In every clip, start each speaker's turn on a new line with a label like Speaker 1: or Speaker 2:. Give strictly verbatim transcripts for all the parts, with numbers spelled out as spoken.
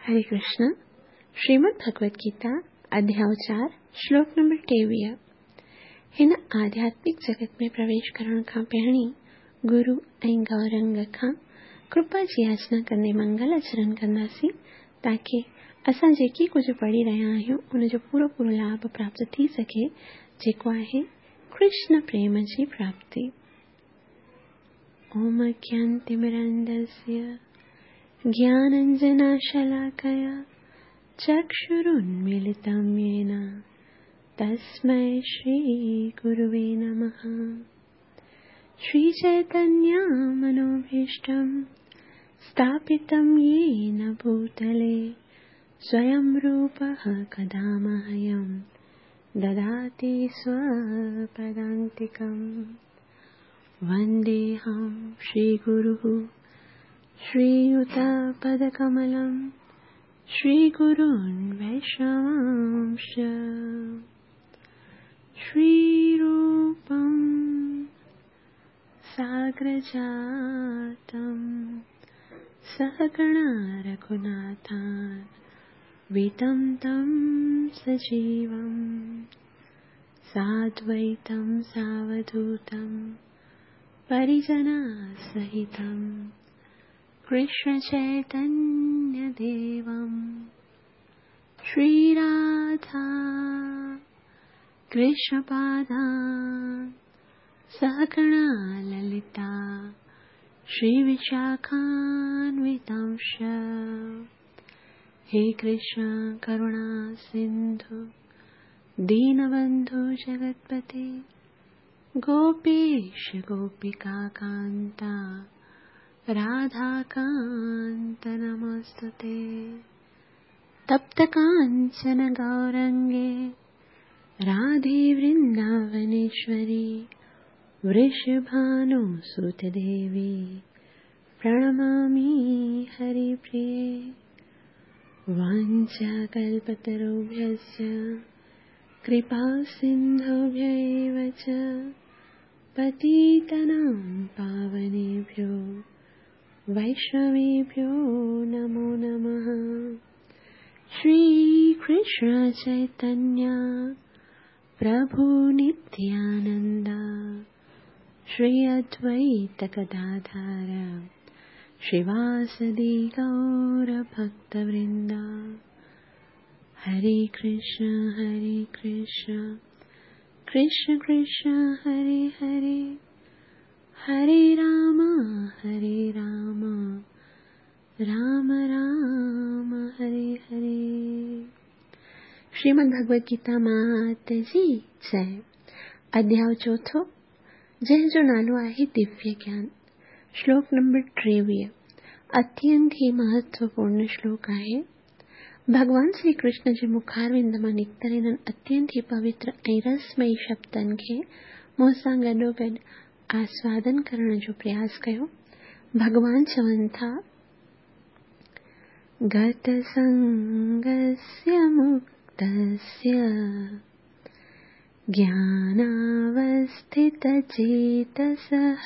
Speaker 1: हरे कृष्ण। श्रीमद् भगवत गीता अध्याय चार श्लोक नंबर टेवीह। हिन आध्यात्मिक जगत में प्रवेश करण खां पहिरीं गुरु ऐं गौरंग खां कृपा जी याचना कंदे मंगल आचरण कंदासीं ताकी असां जेकी कुझु पढ़ी रहिया आहियूं उनजो पूरो पूरो लाभ प्राप्त थी सघे, जेको आहे कृष्ण प्रेम जी प्राप्ति। ओम अज्ञानतिमिरान्धस्य ज्ञानाञ्जनशलाकया चक्षुरुन्मीलितं येन तस्मै श्रीगुरुवे नमः। श्रीचैतन्यमनोभीष्टं स्थापितं येन भूतले स्वयं रूपः कदा मह्यं ददाति स्वपदान्तिकं। वन्देऽहं श्रीगुरुः श्रीयुतपदकमलं श्रीगुरून् वैष्णवांश्च। श्रीरूपं साग्रजातं सहगणा रघुनाथान्वितं तं सजीवं साद्वैतं सावधूतं परिजनसहितं कृष्ण चैतन्य देवं। श्रीराधा कृष्णपादान् सहगणा ललिता श्रीविशाखान्वितांश्च। हे कृष्ण करुणा सिन्धु दीनबन्धु जगत्पते गोपेश गोपिका कान्ता राधाकान्त नमोऽस्तुते। तप्त काञ्चन गौरङ्गे राधे वृन्दावनेश्वरी वृषभानुसुते देवी प्रणमामि हरिप्रिये। वाञ्छाकल्पतरुभ्यश्च कृपा सिन्धुभ्य एव च पतितानां पावनेभ्यो वैष्णवेभ्यो नमो नमः। श्री कृष्ण चैतन्य प्रभु नित्यानंद श्री अद्वैत गदाधर श्रीवासदि गौर भक्तवृंद। हरे कृष्ण हरे कृष्ण कृष्ण कृष्ण हरे हरे, हरे राम हरे राम राम राम हरे हरे। श्रीमद् भगवत गीता मात जी जय। अध्याय चौथो जंहिंजो नालो आहे दिव्य ज्ञान। श्लोक नंबर टेवीह अत्यंत ही महत्वपूर्ण श्लोक आहे। भगवान श्री कृष्ण जे मुखारविंद मां निकितल हिननि अत्यंत ही पवित्र ऐं रसमयी शब्दनि खे मूंसां गॾोगॾु आस्वादन करण जो प्रयास कयो। भगवान चवनि था, गतसंगस्य मुक्तस्य ज्ञानावस्थितचेतसः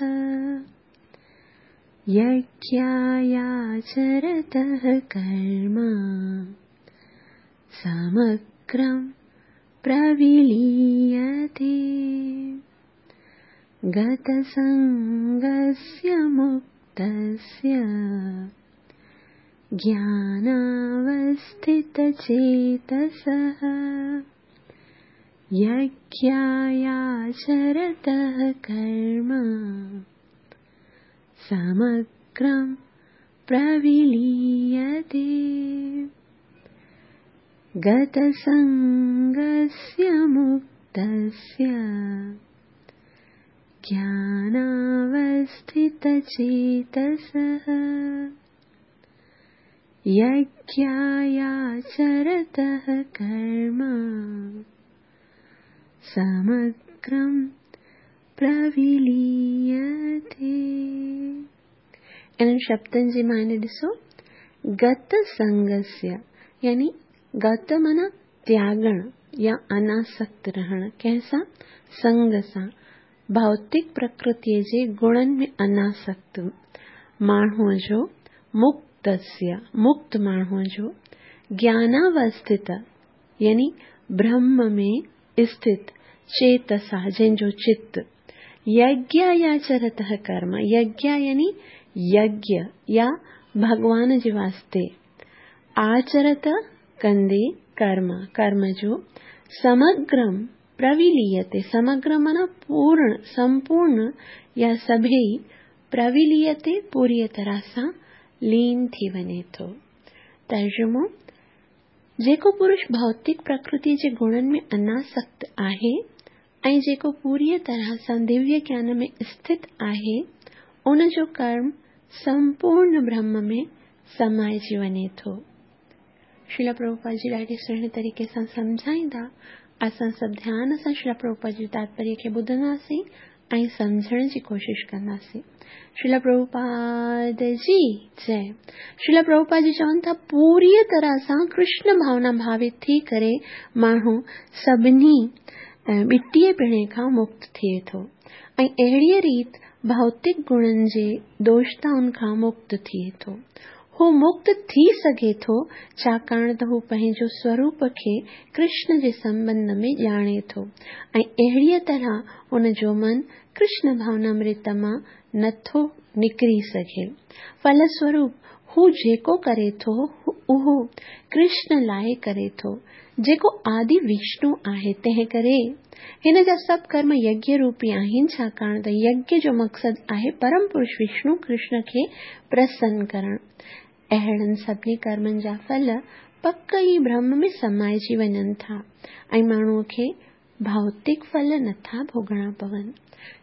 Speaker 1: यज्ञायाचरतः कर्म समग्रं प्रविलीयते। गतसंगस्य मुक्तस्य ज्ञानावस्थितचेतसः यज्ञायाचरतः कर्म समग्रं प्रविलीयते। गतसंगस्य मुक्तस्य ज्ञानावस्थितचेतसः यज्ञायाचरतः कर्म समग्रं प्रविलीयते। इन्हनि शब्दनि जी माने ॾिसो, गत संगस्य यानी गत माना त्यागण या अनासक्त रहण, कंहिंसां? संग सां, भौतिक प्रकृतीअ जे गुणनि में अनासक्त माण्हूअ जो, मुक्तस्य मुक्त माण्हूअ जो, ज्ञानावस्थित यानी ब्रह्म में स्थित चेतसा जंहिंजो चित्त यज्ञायाचरतः कर्म यज्ञ यानी यज्ञ या भॻवान जे वास्ते आचरत कंदे कर्म कर्म जो समग्रम प्रविलीयते समग्र माना पूर्ण संपूर्ण या सभई प्रविलीयते पूरीअ तरह सां लीन थी वञे थो। तर्जुमो जेको पुरुष भौतिक प्रकृति जे गुणनि में अनासक्त आहे ऐं जेको पूरीअ तरह सां दिव्य ज्ञान में स्थित आहे उन जो कर्म संपूर्ण ब्रह्म में समाइजी वञे थो। श्रील प्रभुपाद जी ॾाढे सुहिणे तरीक़े सां सम्झाईंदा। असां सभु ध्यान सां श्रील प्रभुपाद जी तात्पर्य खे ॿुधंदासीं ऐं सम्झण जी कोशिश कंदासीं। श्रील प्रभुपाद जी जय। श्रील प्रभुपाद जी चवनि था पूरीअ तरह सां कृष्ण भावना भावित थी करे माण्हू सभिनी ॿटीह पिणे खां मुक्त थिए थो ऐं अहिड़ीअ रीति भौतिक गुणनि जे दोषताउनि खां मुक्त थिए थो। हू मुक्त थी सघे थो छाकाणि त हू पंहिंजो स्वरूप खे कृष्ण जे संबंध में ॼाणे थो ऐं अहिड़ीअ तरह उन जो मन कृष्ण भावनामृत मां नथो निकिरी सघे। फलस्वरूप हू जेको करे थो उहो कृष्ण लाइ करे थो जेको आदि विष्णु आहे। तंहिं करे हिन जा सभु कर्म यज्ञ रूपी आहिनि छाकाणि त यज्ञ जो मक़सदु आहे परम पुरुष विष्णु कृष्ण खे प्रसन्न करणु। अहिड़नि सभिनी कर्मनि जा फल पक ई ब्रह्म में समाइजी वञनि था ऐं माण्हूअ खे भौतिक फल नथा भोगणा पवनि।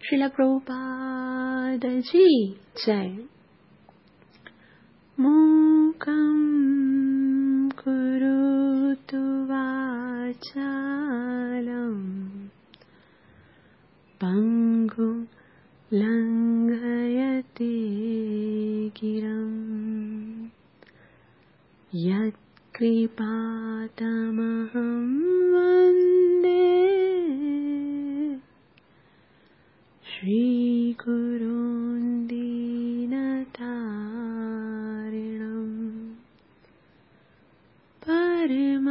Speaker 1: श्रील प्रभुपाद जी जय। मूकं करोतु वाचालं पंगुं लंघयते गिरं यत्कृपातमहं वन्दे श्रीगुरुं दीनतारिणं परमानन्दमाधवं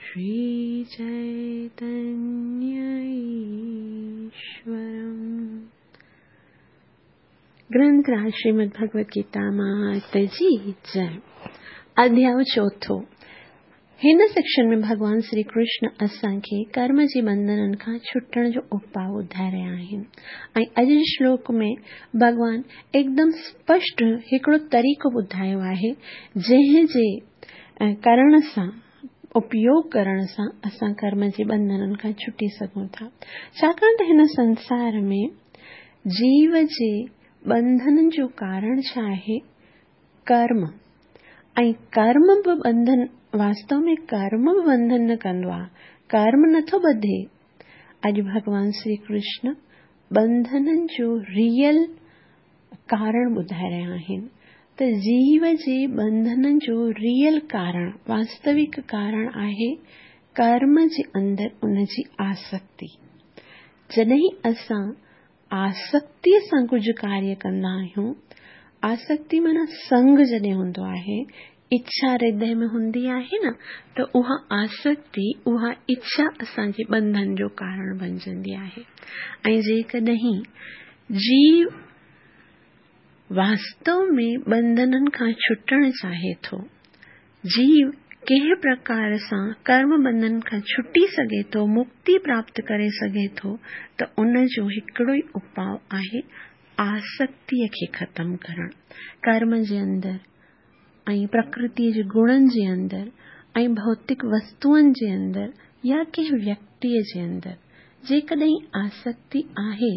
Speaker 1: श्रीचैतन्यईश्वरम्। ग्रंथराज श्रीमद् भगवद गीता मात जी जय। अध्याय चौथो। हिन सेक्शन में भॻवान श्री कृष्ण असांखे कर्म जे बंधननि खां छुटण जो उपाउ ॿुधाए रहिया आहिनि ऐं अॼु जे श्लोक में भॻवान एकदम स्पष्ट हिकिड़ो तरीक़ो ॿुधायो आहे जंहिं जे करण सां उपयोग करण सां असां कर्म जे बंधननि खां छुटी सघूं था। छाकाणि त हिन संसार में जीव जे बंधननि जो कारण छा आहे? कर्म। ऐं कर्म बि बंधन वास्तव में कर्म बि बंधन न कंदो आहे, कर्म नथो ॿधे। अॼु भॻवान श्री कृष्ण बंधननि जो रियल कारण ॿुधाए रहिया आहिनि त जीव जे बंधननि जो रियल कारण वास्तविक कारण आहे कर्म जे अंदरि उनजी आसक्ति। जॾहिं असां आसक्तीअ सां कुझु कार्य कंदा आहियूं, आसक्ति माना संग जॾहिं हूंदो आहे, इच्छा हृदय में हूंदी आहे न, त उहा आसक्ति उहा इच्छा असांजे बंधन जो कारण बणजंदी आहे। ऐं जेकॾहिं जीव वास्तव में बंधननि खां छुटणु चाहे थो, जीव कंहिं प्रकार सां कर्म बंधन खां छुटी सघे थो, मुक्ति प्राप्त करे सघे थो, त उन जो हिकिड़ो ई उपाउ आहे आसक्तीअ खे ख़तमु करणु। कर्म जे अंदरि ऐं प्रकृतीअ जे गुणनि जे अंदरि ऐं भौतिक वस्तुअनि जे अंदरि या कंहिं व्यक्तीअ जे अंदरि जेकॾहिं आसक्ति आहे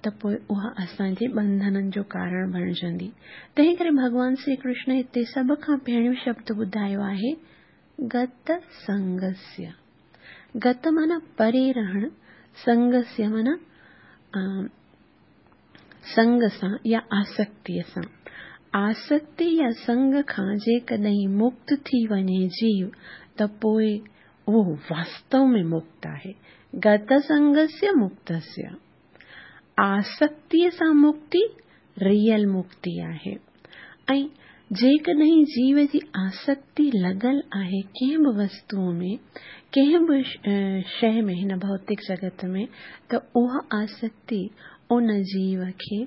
Speaker 1: त पोइ उहा असांजे बंधननि जो कारण बणजंदी। तंहिं करे भॻवान श्री कृष्ण हिते सभ खां पहिरियों शब्द ॿुधायो आहे गत संगस्य। गत माना परे रहणु, संगस्य माना संग सां या आसक्तीअ सां। आसक्ति या संग खां जेकॾहिं मुक्त थी वञे जीव त पोइ उहो वास्तव में मुक्त आहे। गत संगस्य मुक्तस्य। आसक्तीअ सां मुक्ति रियल मुक्ति आहे। ऐं जेकॾहिं जीव जी आसक्ति लॻल आहे कंहिं बि वस्तूअ में, कंहिं बि शइ में हिन भौतिक जगत में, त उहा आसक्ति उन जीव खे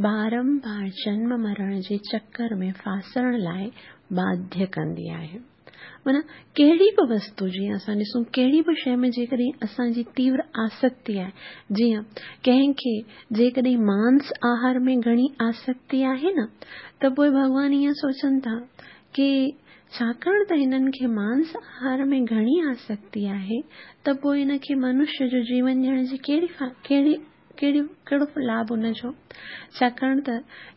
Speaker 1: बारंबार जन्म मरण जे चक्कर में फासण लाइ बाध्य कंदी आहे। माना कहिड़ी बि वस्तु, जीअं असां ॾिसूं कहिड़ी बि शइ में जेकॾहिं असांजी तीव्र आसक्ति आहे, जीअं कंहिंखे जेकॾहिं मांस आहार में घणी आसक्ति आहे न, त पोइ भॻवान ईअं सोचनि था की छाकाणि त हिननि खे मांस आहार में घणी आसक्ति आहे, त पोइ हिनखे मनुष्य जो जीवन ॾियण जी कहिड़ी कहिड़ी कहिड़ी कहिड़ो लाभ हुनजो? छाकाणि त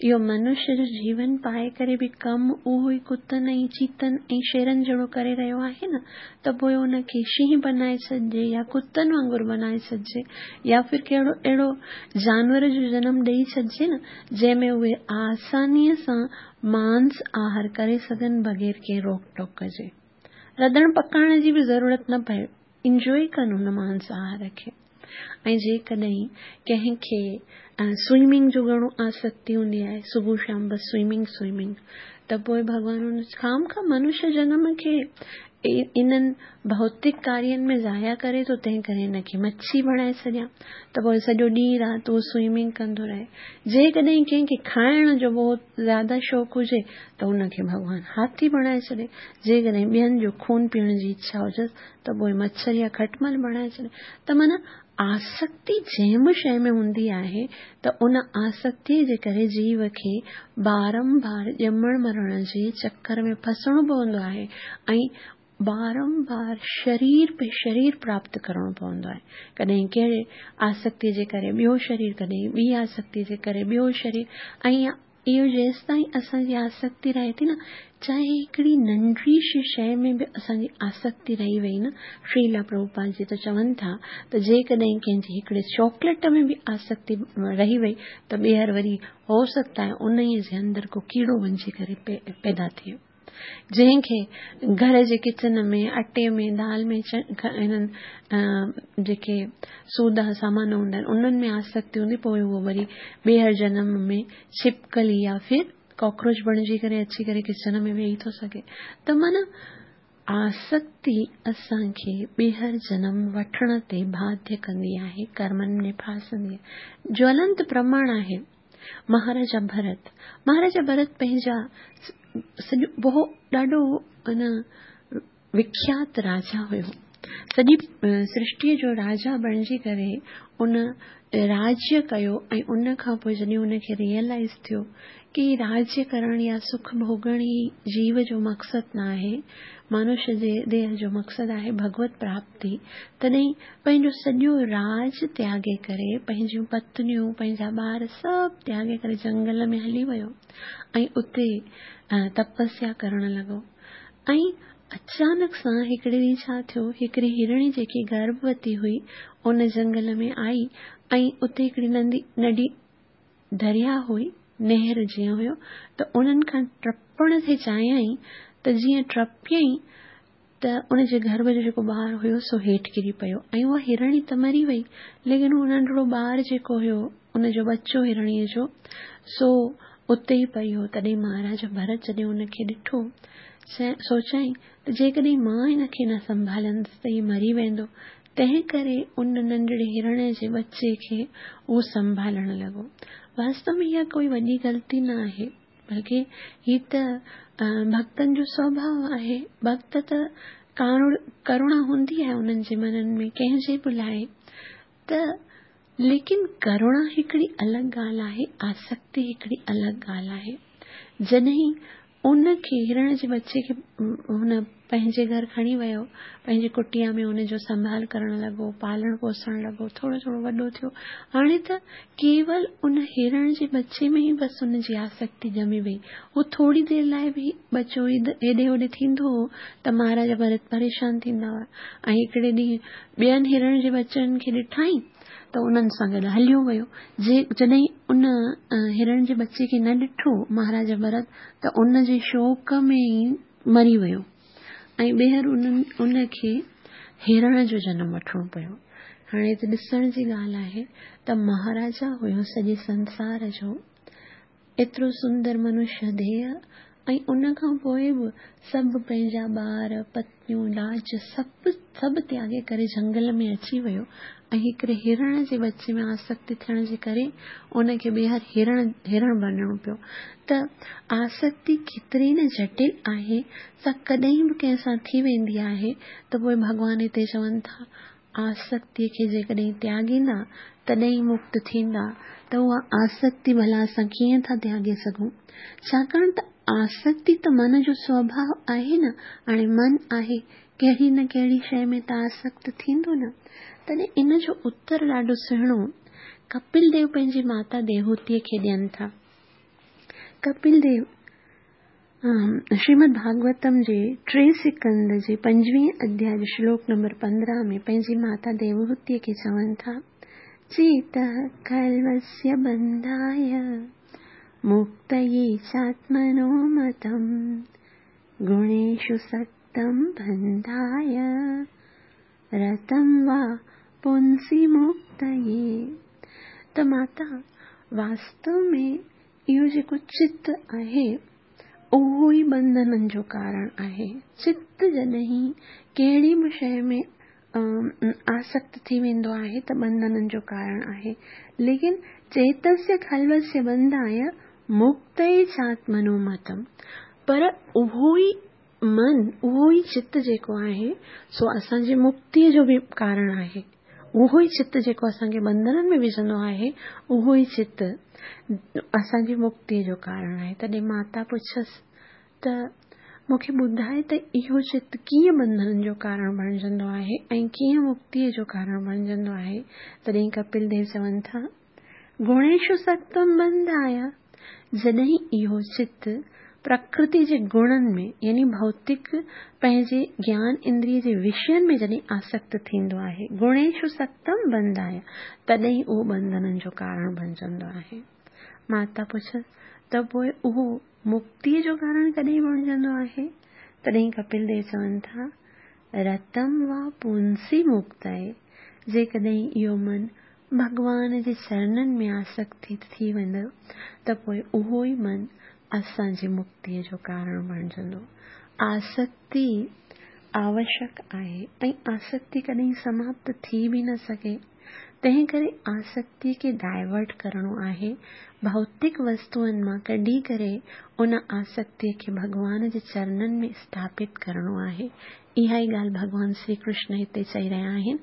Speaker 1: इहो मनुष्य जो जीवन पाए करे बि कमु उहो ई कुतनि ऐं चीतनि ऐं शेरनि जहिड़ो करे रहियो आहे न, त पोइ हुनखे शींहं बनाए छॾिजे या कुतनि वांगुरु बनाए छॾिजे या फिर कहिड़ो अहिड़ो जानवर जो जनम ॾेई छॾिजे न, जंहिंमें उहे आसानीअ सां मांस आहार करे सघनि बग़ैर कंहिं रोक टोक जे। रंधण पकाइण जी बि ज़रूरत न पए, इंजॉय कनि हुन मांस आहार खे। ऐं जेकॾहिं कंहिंखे स्विमिंग जो घणो आसक्ति हूंदी आहे, सुबुह शाम बसि स्विमिंग स्विमिंग, त पोइ भॻवान हुन खाम खां मनुष्य जनम खे इन्हनि भौतिक कार्यनि में ज़ाया करे थो, तंहिं करे हिनखे मच्छी बणाए छॾियां, त पोइ सॼो ॾींहुं राति उहो स्विमिंग कंदो रहे। जेकॾहिं कंहिंखे खाइण जो बहुत ज़्यादा शौक़ु हुजे त हुनखे भॻवान हाथी बणाए छॾे, जेकॾहिं ॿियनि जो खून पीअण जी इच्छा हुजनि त पोइ मच्छर या खटमल बणाए छॾे। त माना आसक्ति जंहिं बि शइ में हूंदी आहे त उन आसक्तीअ जे करे जीव खे बारंबार ॼमण मरण जे चक्कर में फसणो पवंदो आहे ऐं बारंबार शरीर पे शरीर प्राप्त करणो पवंदो आहे। कॾहिं कहिड़े आसक्तीअ जे करे ॿियो शरीर, कॾहिं ॿी आसक्तीअ जे करे ॿियो शरीर, ऐं इहो जेसि ताईं असांजी आसक्ति रहे थी न, चाहे हिकिड़ी नंढड़ी शइ में बि असांजी आसक्ति रही वई न, श्रीला प्रभुपाद जी त चवनि था त जेकॾहिं कंहिंजी हिकिड़े चॉकलेट में बि आसक्ति रही वई त ॿीहर वरी हो सकता है उन जे अंदरि को कीड़ो वञी करे पैदा थिए, जंहिंखे घर जे किचन में आटे में दाल में हिननि जेके सूदा सामान हूंदा आहिनि उन्हनि में आसक्ति हूंदी, पोइ उहो वरी ॿीहर जनम में छिपकली या फिर कॉकरोच बणिजी करे अची करे किचन में वेही थो सघे। त माना आसक्ति असांखे ॿीहर जनम वठण ते बाध्य कंदी आहे, कर्मनि में फासंदी आहे। ज्वलंत प्रमाण आहे महाराजा भरत। महाराजा भरत पंहिंजा सॼो बहु ॾाढो अन विख्यात राजा हुयो, सॼी सृष्टीअ जो राजा बणिजी करे उन राज्य कयो ऐं उन खां पोइ जॾहिं हुनखे रियलाइज़ थियो की राज्य करणु या सुख भोगण ई जीव जो मक़सदु न आहे, मनुष्य जे देह जो मक़सदु आहे भगवत प्राप्ति, तॾहिं पंहिंजो सॼो राज त्यागे करे पंहिंजियूं पत्नियूं पंहिंजा ॿार सभु त्यागे करे जंगल में हली वियो ऐं उते तपस्या करण लॻो। ऐं अचानक सां हिकिड़े ॾींहुं छा थियो, हिकिड़ी हिरणी जेकी गर्भवती हुई उन जंगल में आई ऐं उते हिकिड़ी नंदी नंढी दरिया हुई, नहर जीअं हुयो, त उन्हनि खां टपण थी चाहियईं, त जीअं टपियईं त उनजे गर्भ जो जेको ॿार हुयो सो हेठि किरी पियो ऐं उहा हिरणी त मरी वई, लेकिन उहो नंढड़ो ॿार जेको हुयो उनजो बचो हिरणीअ जो सो उते ई पई हो। तॾहिं महाराजा भरत जॾहिं हुनखे ॾिठो, सोचयईं त जेकॾहिं मां हिनखे न संभालंदुसि त हीउ मरी वेंदो, तंहिं करे उन नंढड़े हिरण जे बच्चे खे उहो संभालण लॻो। वास्तव में इहा कोई वॾी ग़लती न आहे, बल्कि हीअ त भक्तनि जो स्वभाव आहे। भक्त त करुणा हूंदी आहे उन्हनि जे मननि में कंहिंजे बि लाइ, त लेकिन करुणा हिकिड़ी अलॻि ॻाल्हि आहे, आसक्ति हिकिड़ी अलॻि ॻाल्हि आहे। जॾहिं उनखे हिरण जे बच्चे खे हुन पंहिंजे घर खणी वियो, पंहिंजी कुटिया में हुनजो संभाल करण लॻो, पालण पोसण लॻो, थोरो थोरो वॾो थियो। हाणे त केवल उन हिरण जे बच्चे में ई बसि हुनजी आसक्ति ॼमे वई। उहो थोरी देरि लाइ बि बचो हेॾे होॾे थींदो हो त महाराजा भरत परेशान थींदा हुआ। ऐं हिकिड़े ॾींहुं ॿियनि हिरण जे बच्चनि खे ॾिठाई त उन्हनि सां गॾु हलियो वियो। जे जॾहिं उन हिरण जे बच्चे खे न ॾिठो महाराजा भरत त उन जे शोक में ई मरी वियो ऐं ॿीहर उन्हनि उनखे हिरण जो जनम वठिणो पियो। हाणे त ॾिसण जी ॻाल्हि आहे त महाराजा हुयो सॼे संसार जो, एतिरो सुंदर मनुष्य देह ऐं उन खां पोइ बि सभु पंहिंजा ॿार, पत्नियूं, राज सभु सभु त्यागे करे जंगल में अची वियो ऐं हिकिड़े हिरण जे बच्चे में आसक्ति थियण जे करे उनखे ॿीहर हिरण हिरण बणिणो पियो। त आसक्ति केतिरी न जटिल आहे, सा कॾहिं बि कंहिंसां थी वेंदी आहे। त पोइ भॻवान हिते चवनि था आसक्तीअ खे जेकॾहिं त्यागींदा तॾहिं मुक्त थींदा। त उहा आसक्ति भला असां कीअं था त्यागे सघूं? छाकाणि त आसक्ति त मन जो स्वभाव आहे न। हाणे मन आहे, कहिड़ी न कहिड़ी शइ में त आसक्त थींदो न। तॾहिं इन जो उत्तर ॾाढो सुहिणो कपिल देव पंहिंजी माता देवहूतीअ खे ॾियनि था। कपिल देव श्रीमद् भागवतम जे टे सिकंद जे पंजवीह अध्याय जे श्लोक नंबर पंद्रहं में पंहिंजी माता देवहूतीअ खे चवनि था, चेतः खल्वस्य बन्धाय मुक्तये चात्मनो मतम् गुणेषु सक्तं बन्धाय रतं वा पुंसि मुक्तये। त माता, वास्तव में इहो जेको चित आहे उहो ई बंधननि जो कारण आहे। चित जॾहिं कहिड़ी बि शइ में आसक्त थी वेंदो आहे त बंधननि जो कारण आहे। लेकिन चेतस्य खल्वस्य बंधाय मुक्तये चात्मनो मतम, पर उहो ई मन, उहो ई चित जेको आहे सो असांजे मुक्तीअ जो बि कारण आहे। उहो ई चित जेको असांखे बंधननि में विझंदो आहे, उहो ई चित असांजी मुक्तीअ जो कारण आहे। तॾहिं माता पुछसि त मूंखे ॿुधाए त इहो चित कीअं बंधननि जो कारण बणिजंदो आहे ऐं कीअं मुक्तीअ जो कारण बणिजंदो आहे? तॾहिं कपिल देव चवनि था, गुणेषु सक्तम बंधाय, जॾहिं इहो चित प्रकृति जे गुणनि में यानी भौतिक पंहिंजे ज्ञान इंद्रिय जे विषयनि में जॾहिं आसक्त थींदो आहे, गुणेषु सक्तम बंधाय, तॾहिं उहो बंधननि जो कारण बणिजंदो आहे। माता पुछसि त पोइ उहो मुक्तीअ जो कारण कॾहिं बणिजंदो आहे? तॾहिं कपिल देव चवनि था, रतम वा पुंसी मुक्तये, जेकॾहिं इहो मन भॻवान जे चरणनि में आसक्त थी वेंदो त पोइ उहो ई मन असांजी मुक्तीअ जो कारण बणिजंदो। आसक्ति आवश्यक आहे ऐं आसक्ति कॾहिं समाप्त थी बि न सघे, तंहिं करे आसक्ति खे डाइवर्ट करिणो आहे। भौतिक वस्तुअनि मां कढी करे उन आसक्तिअ खे भॻवान जे चरणनि में स्थापित करिणो आहे। इहा ई ॻाल्हि भॻवान श्री कृष्ण हिते चई रहिया आहिनि,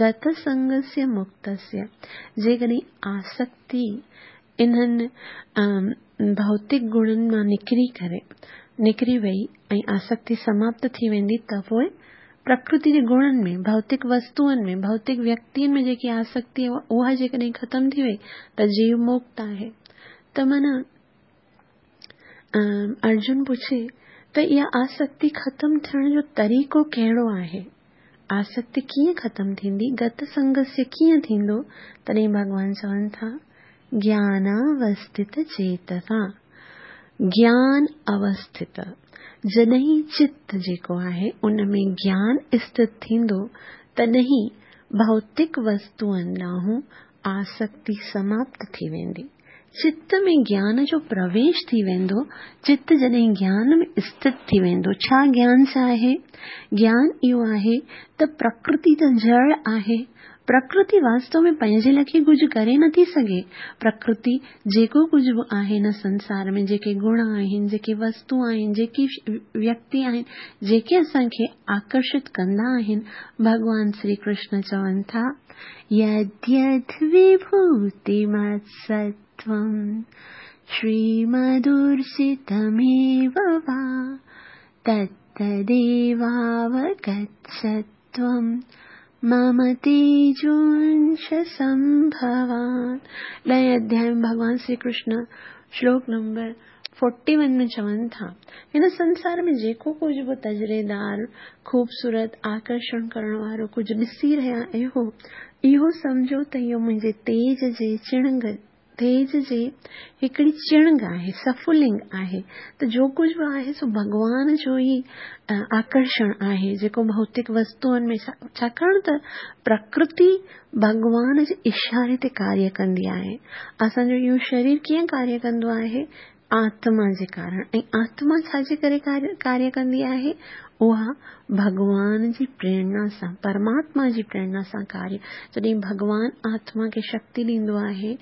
Speaker 1: गत संगस्य मुक्तस्य। जेकॾहिं आसक्ति इन्हनि भौतिक गुणनि मां निकिरी करे निकिरी वई ऐं आसक्ति समाप्त थी वेंदी त पोइ प्रकृति जे गुणनि में, भौतिक वस्तुअनि में, भौतिक व्यक्तियुनि में जेकी आसक्ति आहे उहा जेकॾहिं ख़तमु थी वई त जीव मुक्त आहे। त माना अर्जुन पुछे त इहा आसक्ति ख़तमु थियण जो तरीक़ो कहिड़ो आहे? आसक्ति कीअं ख़तमु थींदी? गत संगस्य कीअं थींदो? तॾहिं भॻवान चवनि था, ज्ञानावस्थित चेतसा, ज्ञान अवस्थित। जॾहिं चित जेको आहे उन में ज्ञान स्थित थींदो तॾहिं भौतिक वस्तुअनि ॾांहुं आसक्ति समाप्त थी वेंदी। चित में ज्ञान जो प्रवेश थी वेंदो, चित जॾहिं ज्ञान में स्थित थी वेंदो। छा ज्ञान छा आहे? ज्ञान इहो आहे त प्रकृति त जड़ आहे। प्रकृति वास्तव में पंहिंजे लाइ कुझु करे नथी सघे। प्रकृति जेको कुझु बि आहे हिन संसार में, जेके गुण आहिनि, जेके वस्तु आहिनि, जेकी व्यक्ति आहिनि, जेके असांखे आकर्षित कंदा आहिनि, भॻवान श्री कृष्ण चवनि था, यद्यद् विभूतिमत्सत्त्वं श्रीमदूर्जितमेव वा तत्तदेवावगच्छत्वं मम तेजोंश संभवान्। ॾहें अध्याय में भॻवान श्री कृष्ण श्लोक नंबर फोर्टी वन में चवनि था, हिन संसार में जेको कुझु बि तजरेदार, ख़ूबसूरत, आकर्षण करण वारो कुझु ॾिसी रहिया आहियो, इहो सम्झो त इहो मुंहिंजे तेज जे चिणंग تيج جي हिकिड़ी चिणग आहे, सफुलिंग आहे। त जो कुझु बि आहे सो भॻवान जो ई आकर्षण आहे, जेको भौतिक वस्तुअनि में, छाकाणि त प्रकृति भॻवान जे इशारे ते कार्य कंदी आहे। असांजो इहो शरीर कीअं कार्य कंदो आहे? आत्मा जे कारण। ऐं आत्मा छाजे करे कार्य कंदी आहे? उहा भॻवान जी प्रेरणा सां, परमात्मा जी प्रेरणा सां कार्य। जॾहिं भॻवान आत्मा खे शक्ति ॾींदो आहे,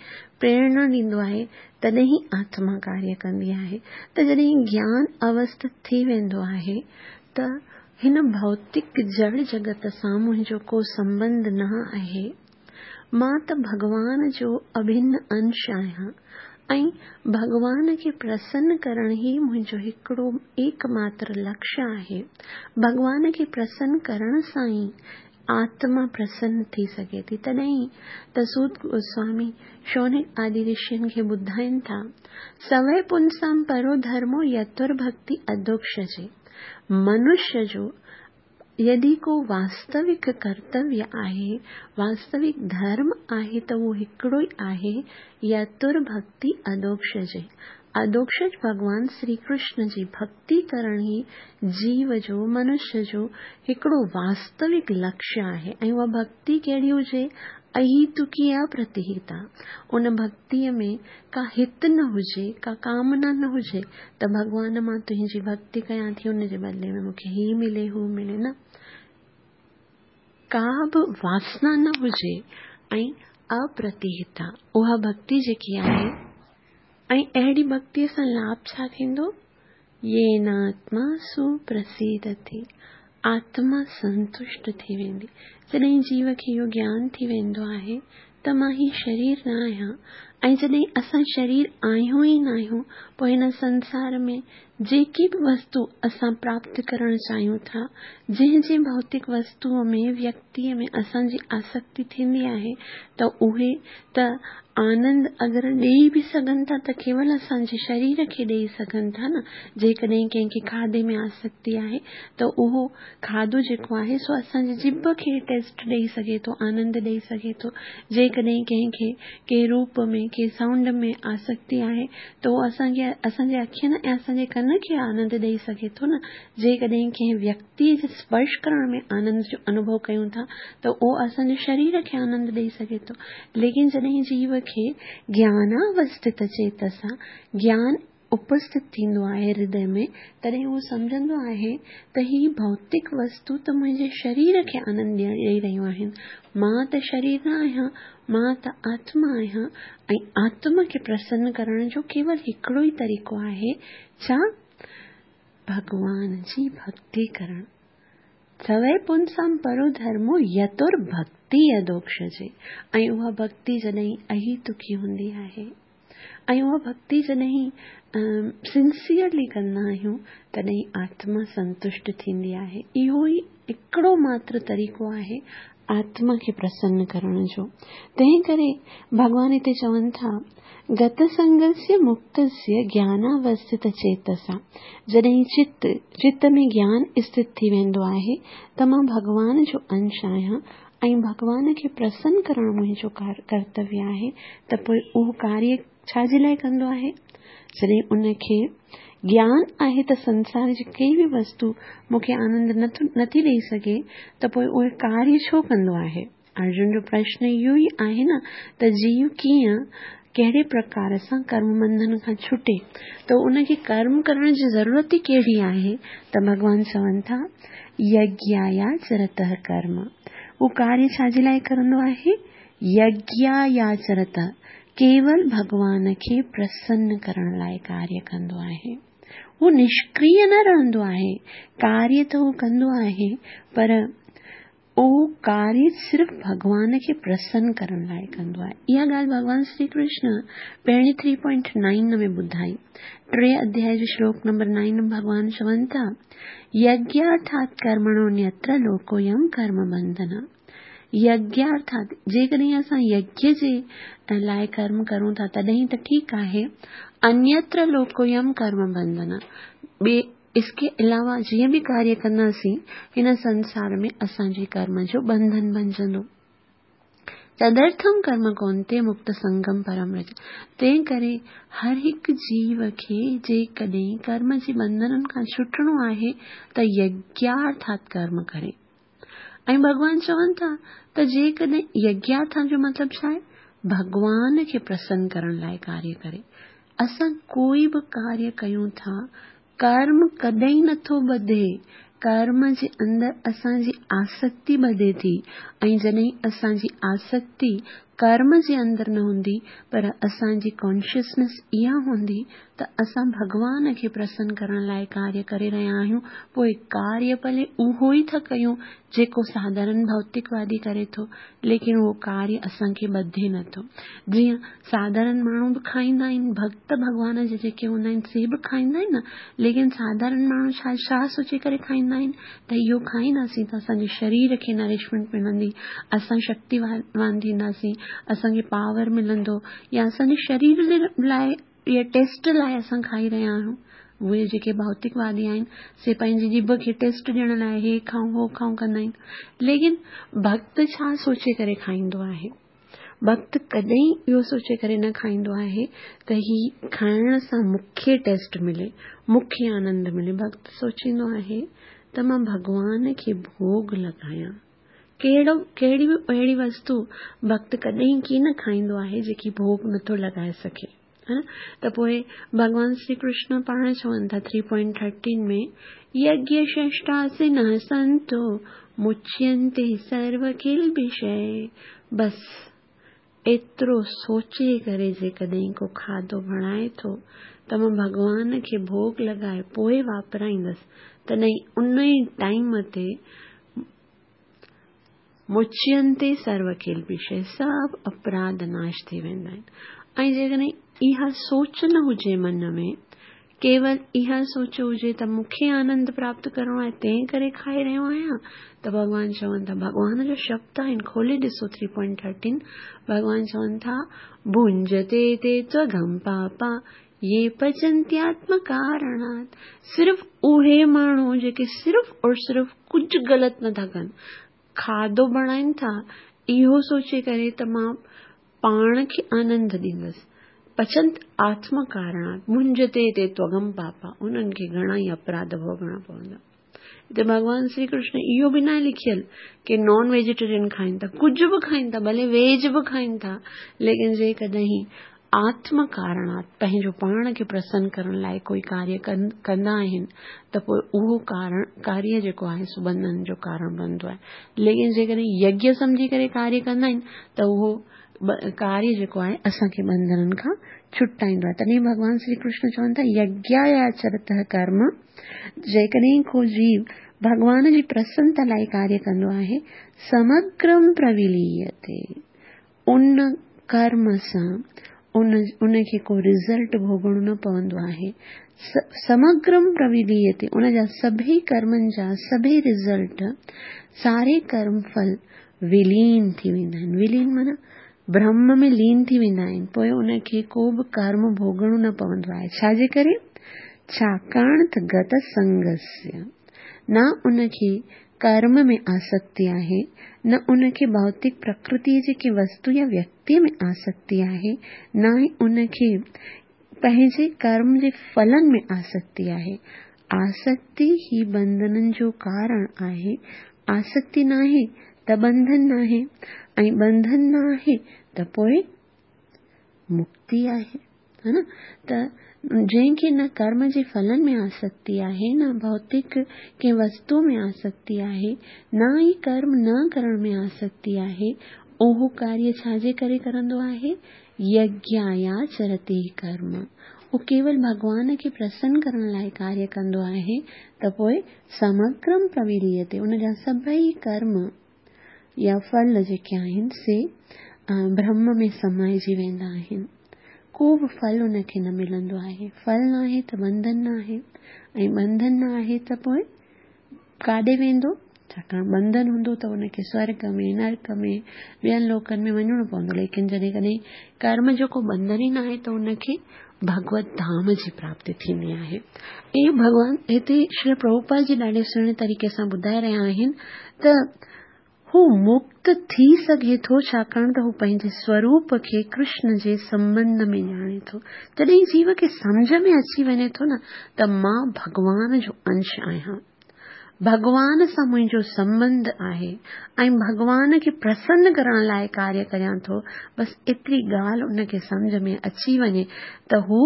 Speaker 1: प्रेरणा ॾींदो आहे, तॾहिं ई आत्मा कार्य कंदी आहे। त जॾहिं ज्ञान अवस्थित थी वेंदो आहे त हिन भौतिक जड़ जगत सां मुंहिंजो को संबंध न आहे, मां त भॻवान जो अभिन्न अंश आहियां ऐं भॻवान खे प्रसन्न करण ई मुंहिंजो हिकिड़ो एकमात्र लक्ष्य आहे। भॻवान खे प्रसन्न करण सां ई आत्मा प्रसन्न थी सघे थी। तॾहिं त सूत गोस्वामी शौनक आदि ऋषियुनि खे ॿुधाइनि था, सवै पुंसां परो धर्मो यतुर भक्ति अधोक्षजे। मनुष्य जो यदि को वास्तविक कर्तव्य आहे, वास्तविक धर्म आहे, त उहो हिकिड़ो ई आहे, यतुर भक्ति अधोक्षजे। अधोक्षज भॻवान श्री कृष्ण जी भक्ति करण ई जीव जो, मनुष्य जो हिकिड़ो वास्तविक लक्ष्य आहे। ऐं उहा भक्ति कहिड़ी हुजे? अहितुकी अप्रतिहिता। उन भक्तीअ में का हित न हुजे, का कामना न हुजे त भॻवान मां तुंहिंजी भक्ति कयां थी, उनजे बदिले में मूंखे ही मिले हू मिले, न, का बि वासना न हुजे ऐं अप्रतिहिता उहा भक्ति जेकी आहे। ऐं अहिड़ी भक्तीअ सां लाभ छा थींदो? येनात्मा सुप्रसीदति, आत्मा संतुष्ट थी वेंदी। जॾहिं जीव खे इहो ज्ञान थी वेंदो आहे त मां ही शरीर न आहियां, ऐं जॾहिं असां शरीर आहियूं ई न आहियूं, पोइ हिन संसार में जेकी बि वस्तु असां प्राप्त करणु चाहियूं था, जंहिं जंहिं भौतिक वस्तुअ में, व्यक्तीअ में असांजी आसक्ति थींदी आहे, त उहे त आनंद अगरि ॾेई बि सघनि था त केवल असांजे शरीर खे ॾेई सघनि था न। जेकॾहिं कंहिंखे खाधे में आसक्ति आहे त उहो खाधो जेको आहे सो असांजे जिभ खे टेस्ट ॾेई सघे थो, आनंद ॾेई सघे थो। जेकॾहिं कंहिंखे कंहिं रूप में, कंहिं साउंड में आसक्ति आहे त उहो असांखे, असांजे अखियुनि ऐं असांजे कन खे आनंद ॾेई सघे थो न। जेकॾहिं कंहिं व्यक्तीअ जे स्पर्श करण में आनंद जो अनुभव कयूं था त उहो असांजे शरीर खे आनंद ॾेई सघे थो। लेकिन जॾहिं जीव खे ज्ञानावस्थित चेतसा ज्ञान उपस्थित थींदो आहे हृदय में, तॾहिं उहो सम्झंदो आहे त ही भौतिक वस्तु त मुंहिंजे शरीर खे आनंद ॾेई रहियूं आहिनि, मां त शरीर न आहियां, मां त आत्मा आहियां। ऐं आत्मा खे प्रसन्न करण जो केवल हिकिड़ो ई तरीक़ो आहे, छा? भॻवान जी भक्ति करण। सवै पुंसां परो धर्मो यतुर भक्ति अधोक्षजे। ऐं उहा भक्ति जॾहिं अहितुकी हूंदी आहे ऐं उहा भक्ति जॾहिं सिंसियरली कंदा आहियूं, तॾहिं आत्मा संतुष्ट थींदी आहे। इहो ई हिकिड़ो मात्र तरीक़ो आहे आत्मा खे प्रसन्न करण जो। तंहिं करे भॻवान हिते चवनि था, गतसंगस्य मुक्तस्य ज्ञानावस्थित चेतसा। जॾहिं चित चित में ज्ञान स्थित थी वेंदो आहे त मां भॻवान जो अंश आहियां ऐं भॻवान खे प्रसन्न करणु मुंहिंजो कर्तव्य आहे, त पोइ उहो कार्य छाजे लाइ कंदो आहे? जॾहिं उनखे ज्ञान आहे त संसार जी कंहिं बि वस्तु मूंखे आनंद नथो नथी ॾेई सघे, त पोइ उहे कार्य छो कंदो आहे? अर्जुन जो प्रश्न इहो ई आहे न त जीव कीअं, कहिड़े प्रकार सां कर्म बंधन खां छुटे, त उनखे कर्म करण जी ज़रूरत ई कहिड़ी आहे? त भॻवान चवनि था, यज्ञायाचरतः कर्म। उहो कार्य छाजे लाइ करंदो आहे? यज्ञायाचरतः, केवल भॻवान खे प्रसन्न करण लाइ कार्य कंदो आहे। उहो निष्क्रिय न रहंदो आहे, कार्य त उहो कंदो आहे, पर उहो कार्य सिर्फ़ भॻवान खे प्रसन्न करण लाइ कंदो आहे। इहा ॻाल्हि भॻवान श्री कृष्ण पहिरीं थ्री पॉइंट नाइन में ॿुधाई। टे अध्याय जो श्लोक नंबर नाइन में भॻवान चवनि था, यज्ञार्थात् कर्मणोऽन्यत्र लोकोऽयं कर्म बंधन। यज्ञार्थात्, जेकॾहिं असां यज्ञ जे लाइ कर्म करूं था तॾहिं त ठीकु आहे, अन्यत्र लोकोऽयं कर्म बंधन, ॿिए इसके अलावा जीअं बि कार्य कंदासीं हिन संसार में असांजे कर्म जो बंधन बणिजंदो। तदर्थम कर्म कौन्तेय मुक्त संगम परम व्रज। तंहिं करे हर हिकु जीव खे जेकॾहिं कर्म जे बंधननि खां छुटणो आहे त यज्ञार्थात कर्म करे। ऐं भॻवान चवनि था त जेकॾहिं यज्ञार्थां जो मतिलबु छा आहे? भॻवान खे प्रसन्न करण लाइ कार्य करे। असां कोई बि कार्य कयूं था, कर्म कॾहिं नथो ॿधे। कर्म जे अंदरि असांजी आसक्ति ॿधे थी ऐं जॾहिं असांजी आसक्ति कर्म जे अंदरि न हूंदी पर असांजी कॉन्शियसनेस इहा हूंदी त असां भॻवान खे प्रसन्न करण लाइ कार्य करे रहिया आहियूं, पोइ कार्य भले उहो ई था कयूं जेको साधारण भौतिकवादी करे थो, लेकिन उहो कार्य असांखे ॿधे नथो। जीअं साधारण माण्हू बि खाईंदा आहिनि, भक्त भॻवान जा जेके हूंदा आहिनि से बि खाईंदा आहिनि न, लेकिन साधारण माण्हू छा छा सोचे करे खाईंदा आहिनि त इहो खाईंदासीं त असांजे शरीर खे नरिशमेंट मिलंदी, असां शक्तिवान थींदासीं, असांखे पावर मिलंदो, या असांजे शरीर लाइ या टेस्ट लाइ असां खाई रहिया आहियूं। उहे जेके भौतिकवादी आहिनि से पंहिंजी जीभ खे टेस्ट ॾियण लाइ हे खाऊं हो खाऊं कंदा आहिनि, लेकिन भक्त छा सोचे करे खाईंदो आहे? भक्त कॾहिं इहो सोचे करे न खाईंदो आहे त ही खाइण सां मूंखे टेस्ट मिले, मूंखे आनंद मिले। भक्त सोचींदो आहे त मां भॻवान खे भोग लॻायां। कहिड़ो कहिड़ी बि अहिड़ी वस्तु भक्त कॾहिं कीअं न खाईंदो आहे जेकी भोग नथो लॻाए सघे, है न? त पोइ भॻवान श्री कृष्ण पाण चवनि था थ्री पॉइंट थर्टीन में, यज्ञ षष्ठासिनः संतो मुच्यन्ते सर्व किल्बिषै। बसि एतिरो सोचे करे जेकॾहिं को खाधो बणाए थो त मां भॻवान खे भोग लॻाए पोइ वापराईंदसि, तॾहिं उन ई टाइम ते मुच्यन्ते सर्व किल्बिषै, सभु अपराध नाश थी वेंदा आहिनि। ऐं जेकॾहिं इहा सोच न हुजे मन में, केवल इहा सोच हुजे त मूंखे आनंद प्राप्त करिणो आहे तंहिं करे खाए रहियो आहियां, त भॻवान चवनि था, भॻवान जो शब्द आहिनि, खोले ॾिसो थ्री पॉइंट थर्टीन, भॻवान चवनि था भुंजते ते त्वगम पापा ये पचंत्यात्म कारणात्। सिर्फ़ उहे माण्हू जेके सिर्फ़ और सिर्फ़ कुझु ग़लति नथा कनि, खाधो बणाइनि था इहो सोचे करे त मां पाण खे आनंद ॾींदसि, पचंत आत्म कारणात् मुंजते ते त्वगम पापा, उन्हनि खे घणा ई अपराध भोगणा पवंदा। हिते भॻवान श्री कृष्ण इहो बि न आहे लिखियलु की नॉन वेजिटेरियन खाइनि था, कुझु बि खाइनि था, भले वेज बि खाइनि था, लेकिन जेकॾहिं आत्म कारणात् पंहिंजो पाण खे प्रसन्न करण लाइ कोई कार्य कंदा आहिनि त पोइ उहो कारण कार्य जेको आहे सो बंधन जो कारण बणंदो आहे। लेकिन जेकॾहिं यज्ञ सम्झी करे कार्य कंदा आहिनि त उहो कार्य जेको आहे असांखे बंधननि खां छुटाईंदो आहे। तॾहिं भॻवान श्री कृष्ण चवनि था यज्ञायाचरतः कर्म, जेकॾहिं को जीव भॻवान जी प्रसन्नता लाइ कार्य कंदो आहे, समग्रम प्रविलीयते, उन कर्म सां उन उनखे को रिज़ल्ट भोगणो न पवंदो आहे। समग्रम प्रविलीयते, उन जा सभई कर्मनि जा सभई रिज़ल्ट, सारे कर्म फल विलीन थी वेंदा आहिनि। विलीन माना ब्रह्म में लीन थी वेंदा आहिनि, पोइ उनखे को बि कर्म भोगणो न पवंदो आहे। छाजे करे? छाकाणि त गत संगस्य, न उनखे कर्म में आसक्ति आहे, न उनखे भौतिक प्रकृति जे कंहिं वस्तु या व्यक्ति में आसक्ति आहे, न ई उनखे पंहिंजे कर्म जे फलनि में आसक्ति आहे। आसक्ति ही बंधननि जो कारण आहे। आसक्ति न आहे त बंधन न आहे, ऐं बंधन न आहे त पोइ मुक्ति आहे, है न? त जंहिंखे न कर्म जे फलनि में आसक्ति आहे, न भौतिक कंहिं वस्तु में आसक्ति आहे, न ई कर्म न करण में आसक्ति आहे, उहो कार्य छाजे करे करंदो आहे? यज्ञायाचरते कर्म। उहो केवल भॻवान खे प्रसन्न करण लाइ कार्य कंदो आहे त पोइ समग्रम प्रविलीयते, उन जा सभई कर्म या फल जेके आहिनि से ब्रह्म में समाइजी वेंदा आहिनि। को बि फल उनखे न मिलंदो आहे। फल न आहे त बंधन न आहे, ऐं बंधन न आहे त पोइ काॾे वेंदो? छाकाणि बंधन हूंदो त उनखे स्वर्ग में, नरक में, ॿियनि लोकनि में वञिणो पवंदो। लेकिन जॾहिं कॾहिं कर्म जो को बंधन ई न आहे त उनखे भगवत धाम जी प्राप्ति थींदी आहे। ऐं भॻवान हिते श्री प्रभुपाद जी ॾाढे सुहिणे तरीक़े सां ॿुधाए रहिया आहिनि त हू मुक्त थी सघे थो, छाकाणि त हू पंहिंजे स्वरूप खे कृष्ण जे संबंध में ॼाणे थो। जॾहिं जीव खे सम्झ में अची वञे थो न त मां भॻवान जो अंश आहियां, भॻवान सां मुंहिंजो संबंध आहे ऐं भॻवान खे प्रसन्न करण लाइ कार्य करियां थो, बसि एतिरी ॻाल्हि उनखे सम्झ में अची वञे त हू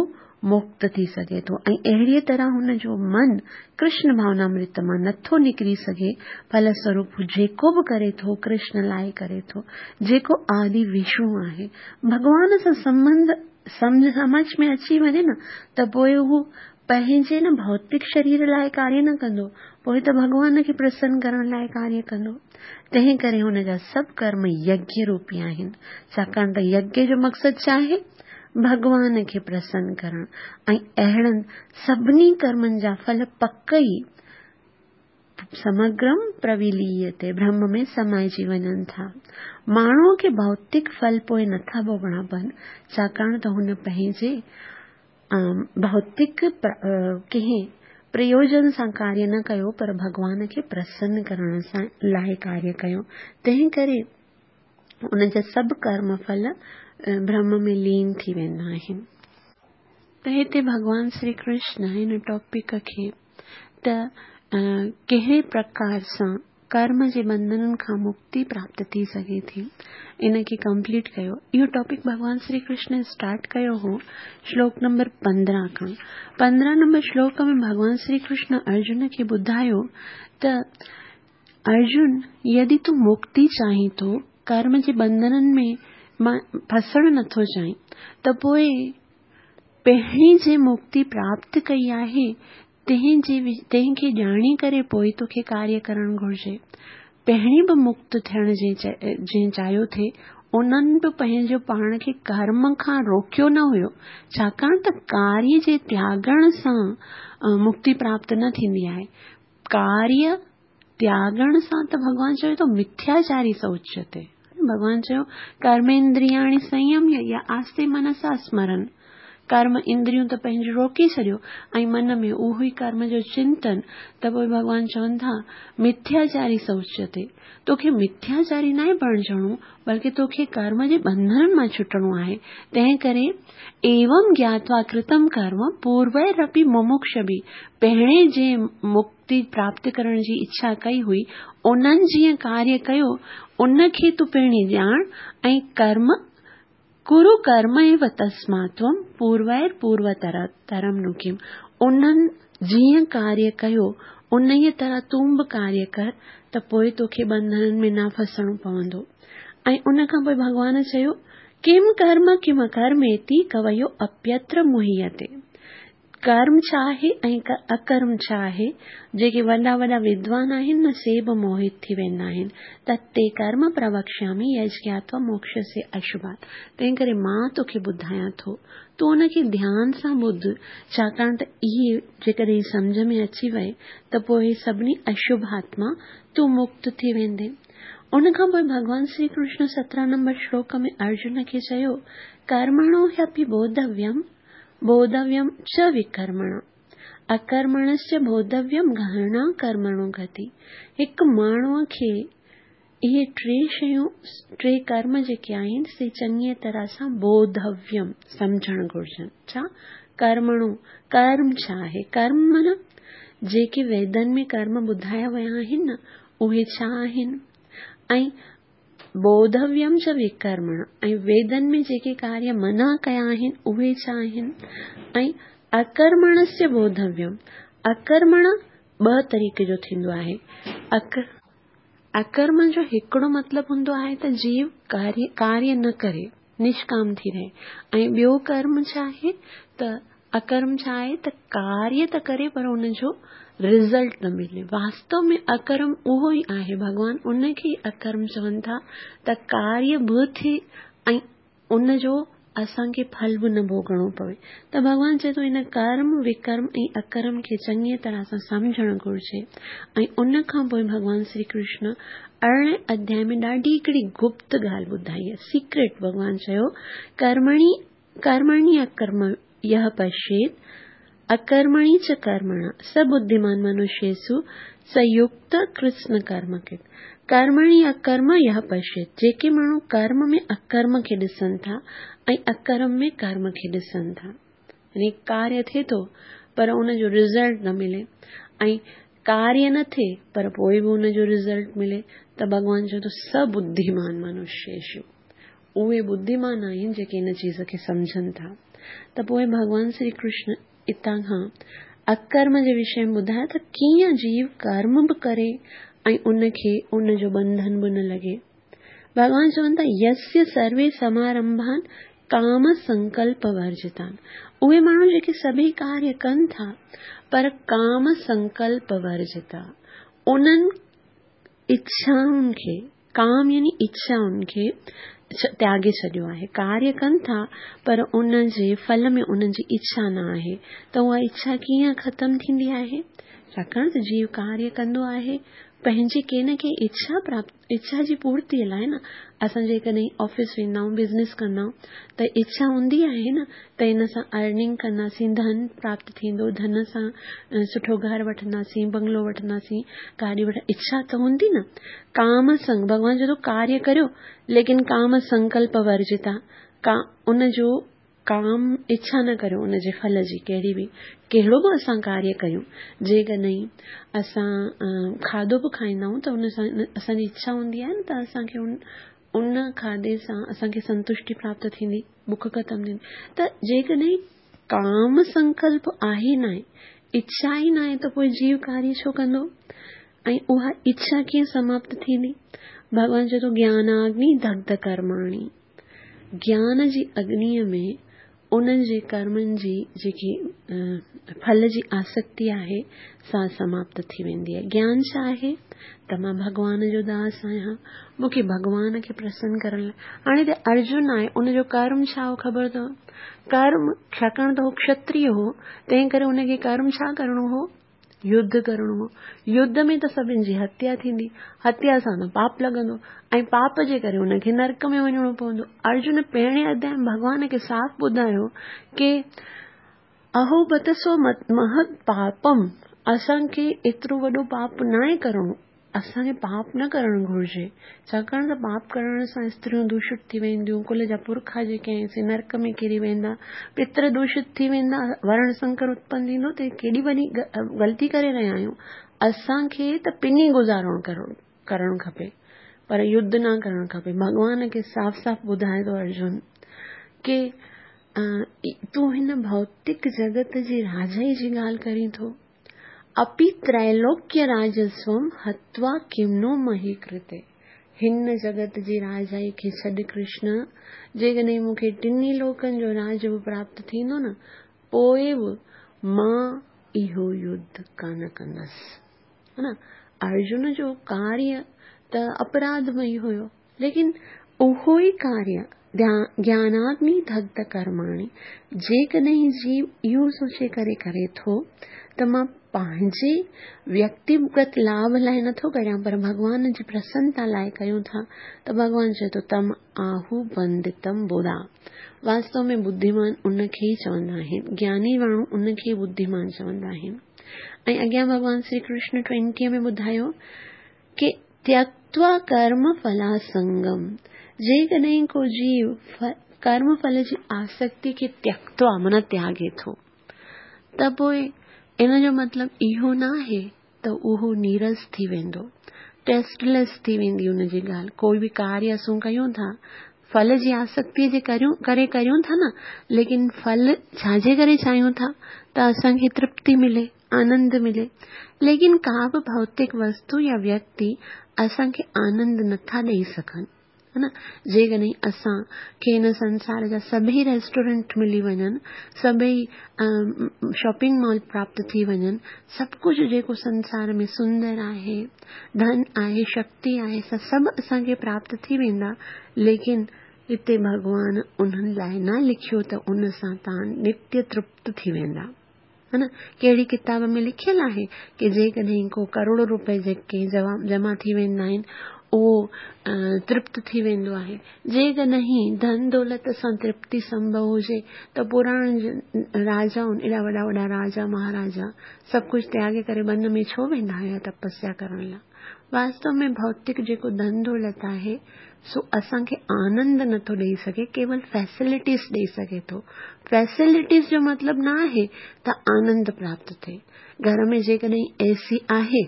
Speaker 1: मुक्त थी सघे थो। ऐं अहिड़ीअ तरह हुनजो मन कृष्ण भावनामृत मां नथो निकिरी सघे। फलस्वरूप हू जेको बि करे थो कृष्ण लाइ करे थो, जेको आदि विष्णु आहे। भॻवान सां संबंध सम्झ समझ में अची वञे न त पोइ हू पंहिंजे न भौतिक शरीर लाइ कार्य न कंदो, पोइ त भॻवान खे प्रसन्न करण लाइ कार्य कंदो। तंहिं करे हुनजा सभु कर्म यज्ञ रूपी आहिनि, छाकाणि त यज्ञ जो मक़सदु छा आहे? भॻवान खे प्रसन्न करण। ऐं अहिड़नि सभिनी कर्मनि जा फल पक ई समग्रम प्रविलीयते, ब्रह्म में समाइजी वञनि था। माण्हूअ खे भौतिक फल पोइ नथा भोगणा पवनि, छाकाणि त हुन पंहिंजे भौतिक कंहिं प्रयोजन सां कार्य न कयो, पर भॻवान खे प्रसन्न करण सां लाइ कार्य कयो। तंहिं करे हुनजा सभु कर्म फल ब्रह्म में लीन थी वेंदा आहिनि। त हिते भॻवान श्री कृष्ण हिन टॉपिक खे त कहिड़े प्रकार सां कर्म जे बंधननि खां मुक्ति प्राप्त थी सघे थी, इन खे कंप्लीट कयो। इहो टॉपिक भॻवान श्री कृष्ण स्टार्ट कयो हो श्लोक नंबर पंद्रहं खां। पंद्रहं नंबर श्लोक में भॻवान श्री कृष्ण अर्जुन खे ॿुधायो त अर्जुन, यदि तूं मुक्ति चाहीं थो, कर्म जे बंधननि में मां फसणु नथो चाहीं, त पोइ पहिरीं जे मुक्ति प्राप्त कई आहे तंहिंजे तंहिंखे ॼाणी करे पोइ तोखे कार्य करणु घुरिजे। पहिरीं बि मुक्त थियण जंहिं चाहियो थे, उन्हनि बि पंहिंजो पाण खे कर्म खां रोकियो न हुयो, छाकाणि त कार्य जे त्यागण सां मुक्ति प्राप्त न थींदी आहे। कार्य त्यागण सां त भॻवान चयो थो मिथ्याचारी स उच्यते। भॻवान चयो कर्मेंद्रियाणि संयम्य या आस्ते मनसा स्मरण, कर्म इंद्रियूं त पंहिंजो रोके छॾियो ऐं मन में उहो ई कर्म जो चिंतन, त पोइ भॻवान चवनि था मिथ्याचारी स उच्यते। तोखे मिथ्याचारी नाहे बणिजणो, बल्कि तोखे कर्म जे बंधननि मां छुटणो आहे। तंहिं करे एवं ज्ञात्वा कृतम कर्म पूर्वैरपि मुमुक्षभिः, पहिरें जे मुक्ति प्राप्त करण जी इच्छा कई हुई उन्हनि जीअं कार्य कयो उनखे तूं पहिरीं ॼाण ऐं कर्म कुरु कर्म एव तस्मात् त्वं पूर्वैर पूर्वतरम नु किम, उन्हनि जीअं कार्य कयो उन तरह तूं बि कार्य कर त पोइ तोखे बंधननि में न फसणो पवंदो। ऐं उन खां पोइ भॻवान चयो किम कर्म किम अकर्मेति कवयो अप्यत्र मुह्यते। कर्म छा आहे ऐं अकर्म छा आहे, जेके वॾा वॾा विद्वान आहिनि न से बि मोहित थी वेंदा आहिनि। त ते कर्म प्रवक्ष्यामि यज्ञात्वा मोक्षस्य अशुभात्। तंहिं करे मां तोखे ॿुधायां थो, तूं उनखे ध्यान सां ॿुध, छाकाणि त इहे जेकॾहिं सम्झ में अची वए त पोइ सभिनी अशुभात मां तूं मुक्त थी वेंदे। उन खां पोइ भॻवान श्री कृष्ण सत्रहं नंबर श्लोक में अर्जुन खे चयो कर्मणो ह्यपि बोधव्यम बोधव्यम च विकर्मण अकर्मणश्च बोधव्यम गहना कर्मणो गति। हिकु माण्हूअ खे इहे टे शयूं, टे कर्म जेके आहिनि से चङीअ तरह सां बोधव्यम सम्झणु घुरिजनि। छा कर्मणो, कर्म छा आहे? कर्म माना जेके वेदनि में कर्म ॿुधाया विया आहिनि न उहे छा आहिनि, ऐं बोधव्यम च विकर्मण, ऐं वेदनि में जेके कार्य मना कया आहिनि उहे छा आहिनि, ऐं अकर्मणस्य बोधव्यम। अकर्मण ॿ तरीक़े जो थींदो आहे। अक अकर्म जो हिकिड़ो मतिलबु हूंदो आहे त जीव कार्य कार्य न करे, निष्काम थी रहे, ऐं ॿियो कर्म छा आहे त अकर्म छा आहे त कार्य त करे पर उनजो रिज़ल्ट न मिले। वास्तव में अकर्म उहो ई आहे, भॻवान उनखे ई अकर्म चवनि था त कार्य बि थिए ऐं उनजो असांखे फल बि न भोगणो पवे। त भॻवान चए थो इन कर्म, विकर्म ऐं अकर्म खे चङीअ तरह सां सम्झणु घुरिजे। ऐं उन खां पोइ भॻवान श्री कृष्ण अरिड़हें अध्याय में ॾाढी हिकिड़ी गुप्त ॻाल्हि ॿुधाई आहे, सीक्रेट। भॻवान चयो कर्मणि कर्मणि अकर्म यः पश्येत् अकर्मणि च कर्मण स बुद्धिमान मनुष्येषु स युक्त कृष्ण कर्म कृत। कर्मणि अकर्म यः पश्येत्, जेके माण्हू कर्म में अकर्म खे ॾिसनि था ऐं अकर्म में कर्म खे ॾिसनि था, यानी कार्य थिए थो पर उनजो रिज़ल्ट न मिले ऐं कार्य न थिए पर पोइ बि उनजो रिज़ल्ट मिले, त भॻवान चए थो स बुद्धिमान मनुष्येषु, उहे बुद्धिमान आहिनि जेके इन चीज़ खे सम्झनि था। त पोइ भॻवान श्री कृष्ण हितां खां अकर्म जे विषय में ॿुधायो त कीअं जीव कर्म बि करे ऐं उनखे उनजो बंधन बि न लॻे। भॻवान चवनि था यस्य सर्वे समारंभान काम संकल्प वर्जितान, उहे माण्हू जेके सभई कार्य कनि था पर काम संकल्प वर्जिता, उन्हनि इच्छाउनि खे, काम यानी इच्छाउनि खे त्यागे छॾियो आहे। कार्य कनि था पर उन जे फल में उन्हनि जी इच्छा न आहे, त उहा इच्छा कीअं ख़तमु थींदी आहे? छाकाणि त जीव कार्य कंदो आहे पंहिंजी कंहिं न कंहिं इच्छा प्राप्त, इच्छा जी पूर्तीअ लाइ न। असां जेकॾहिं ऑफिस वेंदा आहियूं, बिज़नेस कंदा आहियूं, त इच्छा हूंदी आहे न त इन सां अर्निंग कंदासीं, धन प्राप्त थींदो, धन सां सुठो घर वठंदासीं, बंगलो वठंदासीं, गाॾी वठ, इच्छा त हूंदी न। काम संग, भॻवान चए थो कार्य करियो लेकिन काम संकल्प वर्जिता, का उनजो काम इच्छा न करियो उनजे फल जी, कहिड़ी बि कहिड़ो बि असां कार्य कयूं। जेकॾहिं असां खाधो बि खाईंदा आहियूं त उन सां असांजी इच्छा हूंदी आहे न त असांखे उन उन खाधे सां असांखे संतुष्टि प्राप्त थींदी, बुख ख़तमु थींदी। त जेकॾहिं काम संकल्प आहे न आहे, इच्छा ई न आहे, त पोइ जीव कार्य छो कंदो ऐं उहा इच्छा कीअं समाप्त थींदी? भॻवान चए थो ज्ञानाग्नि दग्ध कर्माणि, ज्ञान जी अग्नीअ में उन्हनि जे कर्मनि जी जेकी फल जी आसक्ति आहे सा समाप्त थी वेंदी आहे। ज्ञान छा आहे? त मां भॻवान जो दास आहियां, मूंखे भॻवान खे प्रसन्न करण लाइ। हाणे त अर्जुन आहे, उनजो कर्म छा हो ख़बर अथव? कर्म, छाकाणि त हू क्षत्रिय हो, तंहिं करे उनखे कर्म छा करिणो हो? युद्ध करिणो हो। युद्ध में त सभिनी जी हत्या थींदी, हत्या सां त पाप लॻंदो ऐं पाप जे करे उनखे नरक में वञिणो पवंदो। अर्जुन पहिरें अध्याय में भॻवान खे साफ़ ॿुधायो की अहो बत सो महत् पापम, असांखे एतिरो वॾो पाप न आहे करिणो, असांखे पाप न करणु घुरिजे, छाकाणि त पाप करण सां स्त्रियूं दूषित थी वेंदियूं, कुल जा पुरखा जेके आहिनि से नरक में किरी वेंदा, पितर दूषित थी वेंदा, वर्ण संकर उत्पन्न थींदो। त केॾी वॾी ग़लती करे रहिया आहियूं। असांखे त पिनी गुज़ारो करणु खपे पर युद्ध न करणु खपे। भॻवान खे साफ़ साफ़ ॿुधाए थो अर्जुन की तूं हिन भौतिक जगत जी राजाई जी ॻाल्हि करीं थो, अपि त्रैलोक्य राजस्वम हत्वा किम नो मही कृते, हिन जगत जी राजाई खे छॾ कृष्ण, जेकॾहिं मूंखे टिन्ही लोकनि जो राज बि प्राप्त थींदो न, पोइ बि मां इहो युद्ध कान कंदसि। हा न, अर्जुन जो कार्य त अपराधमयी हुयो, लेकिन उहो ई कार्य ज्ञानाग्नि दग्ध कर्माणि, जेकॾहिं जीव इहो सोचे करे करे थो त मां पंहिंजे व्यक्तिगत लाभ लाइ नथो करियां पर भॻवान जी प्रसन्नता लाइ कयूं था, त भॻवान चए थो तम आहु बंदितम बुधा। वास्तव में बुद्धिमान उनखे ई चवंदा आहिनि, ज्ञानी माण्हू उनखे ई बुद्धिमान चवंदा आहिनि। ऐं अॻियां भॻवान श्री कृष्ण ट्वेंटीअ में ॿुधायो की त्यक्त्वा कर्म फलासंगम, जेकॾहिं को जीव कर्म फल जी आसक्ति खे त्यक्त्वा माना त्यागे थो, त पोइ इन जो मतिलबु इहो न आहे त उहो नीरस थी वेंदो, टेस्टलेस थी वेंदी उनजी ॻाल्हि। कोई बि कार्य असां कयूं था, फल जी आसक्ति जे करियूं करे करियूं था न, लेकिन फल छाजे करे चाहियूं था त असांखे तृप्ति मिले, आनंद मिले, लेकिन का बि भौतिक वस्तु या व्यक्ति असांखे आनंद नथा ॾेई सघनि, हा न। जेकॾहिं असांखे हिन संसार जा सभई रेस्टोरेंट मिली वञनि, सभई शॉपिंग मॉल प्राप्त थी वञनि, सभु कुझु जेको संसार में सुंदर आहे, धन आहे, शक्ति आहे, सभु असांखे प्राप्त थी वेंदा, लेकिन हिते भॻवान उन्हनि लाइ न लिखियो त उन सां तव्हां नित्य तृप्त थी वेंदा, हा न। कहिड़ी किताब में लिखियलु आहे की जेकॾहिं को करोड़ो रुपए जेके जमा थी वेंदा आहिनि, اهو ترپت ٿي ويندو آهي. جيڪڏهن ڌن دولت سان ترپتي سنڀو هجي ته پراڻن راجائن، ايڏا وڏا وڏا راجا مهاراجا سڀ ڪجهه تياڳي ڪري بن ۾ ڇو ويندا هيا تپسيا ڪرڻ لاءِ؟ واستو ۾ ڀوتڪ جيڪو ڌن دولت آهي سو اسان کي آنند نٿو ڏيئي سگهي، ڪيول فيسلٽيز ڏيئي سگهي ٿو. فيسلٽيز جو مطلب نه آهي ته آنند پراپت ٿئي. گهر ۾ جيڪڏهن اي سي آهي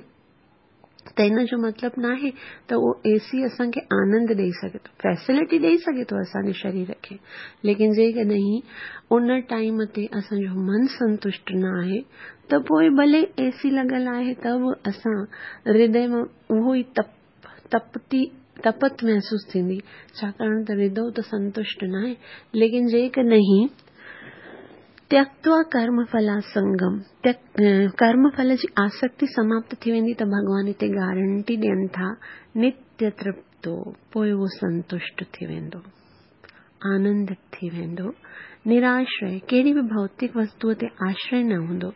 Speaker 1: ته ان جو مطلب نه آهي ته اهو اي سي اسان کي آنند ڏيئي سگهي ٿو. فيسلٽي ڏيئي سگهي ٿو اسان جي شرير کي، ليڪن جيڪڏهن ان ٽائيم تي اسان جو من سنتشٽ نه آهي ته پوءِ ڀلي اي سي لڳل آهي ته به اسان هردي مان اهو ئي تپ تپتي تپت محسوس ٿيندي، ڇاڪاڻ ته هردو ته سنتشٽ نه آهي. ليڪن جيڪڏهن تيڪتوا ڪرم ڦلاسنگم، ڪرم ڦل جي آسڪتي سماپت ٿي ويندي ته ڀڳوان هتي گارنٽي ڏين ٿا نتيه ترپتو، پوءِ اهو سنتشٽ ٿي ويندو، آنندت ٿي ويندو، نراشري، ڪهڙي به ڀوتڪ وستوءَ تي آشري نه هوندو.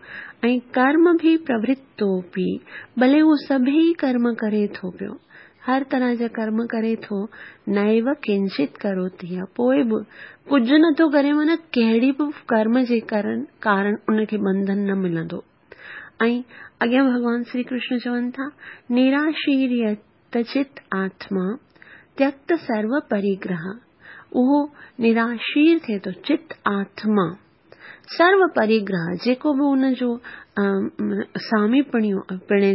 Speaker 1: ۽ ڪرم به پرورتو به، ڀلي اهو سڀئي ڪرم ڪري ٿو پيو، هر طرح جا ڪرم ڪري ٿو، نيو ڪنچت ڪروتي، پوءِ به ڪجهه نٿو ڪري، معنيٰ ڪهڙي به ڪرم جي ڪارڻ ڪارڻ ان کي بنڌن نه ملندو. ۽ اڳيان ڀڳوان شري ڪرشن چون ٿا نراشيريت چت آتما تيڪت سرو پريگرهه، اهو نراشير ٿئي ٿو، چت آتما سرو پريگرهه، جيڪو به ان جو سامي پڻيو پڻي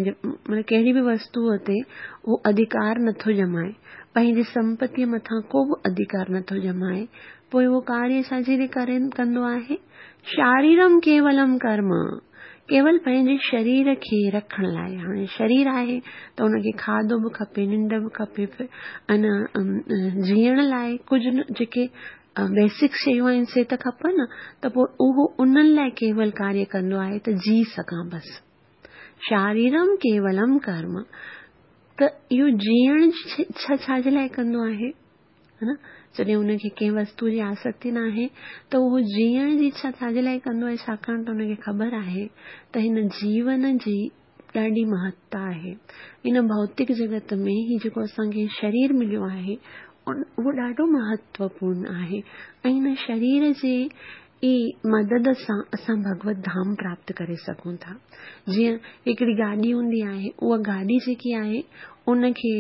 Speaker 1: معنيٰ ڪهڙي به وستوءَ تي اهو اڌڪار نٿو ڄمائي، پنهنجي سمپتيءَ مٿان ڪو به اڌڪار نٿو ڄمائي، پوءِ اهو ڪاريه ڇا جي ڪري ڪندو آهي؟ شاريرم ڪيولم ڪرم، ڪيول پنهنجي شرير کي رکڻ لاءِ. هاڻي شرير آهي ته ان کي کاڌو به کپي، ننڊ به کپي، انا جيئڻ لاءِ ڪجهه جيڪي بيسڪ شيون آهن سي ته کپن، ته پوءِ اهو انهن لاءِ ڪيول ڪاريه ڪندو آهي ته جي سگهان بس. شاريرم ڪيولم ڪرم، ته اهو جيئڻ ڇا ڇا جي لاءِ ڪندو آهي؟ ها نه، جڏهن ان کي ڪنهن وستوءَ جي آسڪتي نه آهي ته اهو جيئڻ جي اڇا ڇا جي لاءِ ڪندو آهي؟ ڇاڪاڻ ته ان کي خبر آهي ته هن جيون جي ڏاڍي مهتا آهي. هن ڀوتڪ جڳت ۾ هي جيڪو اسان کي شرير مليو آهي اهو ڏاڍو مهتوپورڻ آهي ۽ هن شرير جي ئي مدد سان اسان ڀڳوت ڌام پراپت ڪري سگهون ٿا. جيئن هڪڙي گاڏي هوندي آهي، اها گاڏي جيڪي آهي ان کي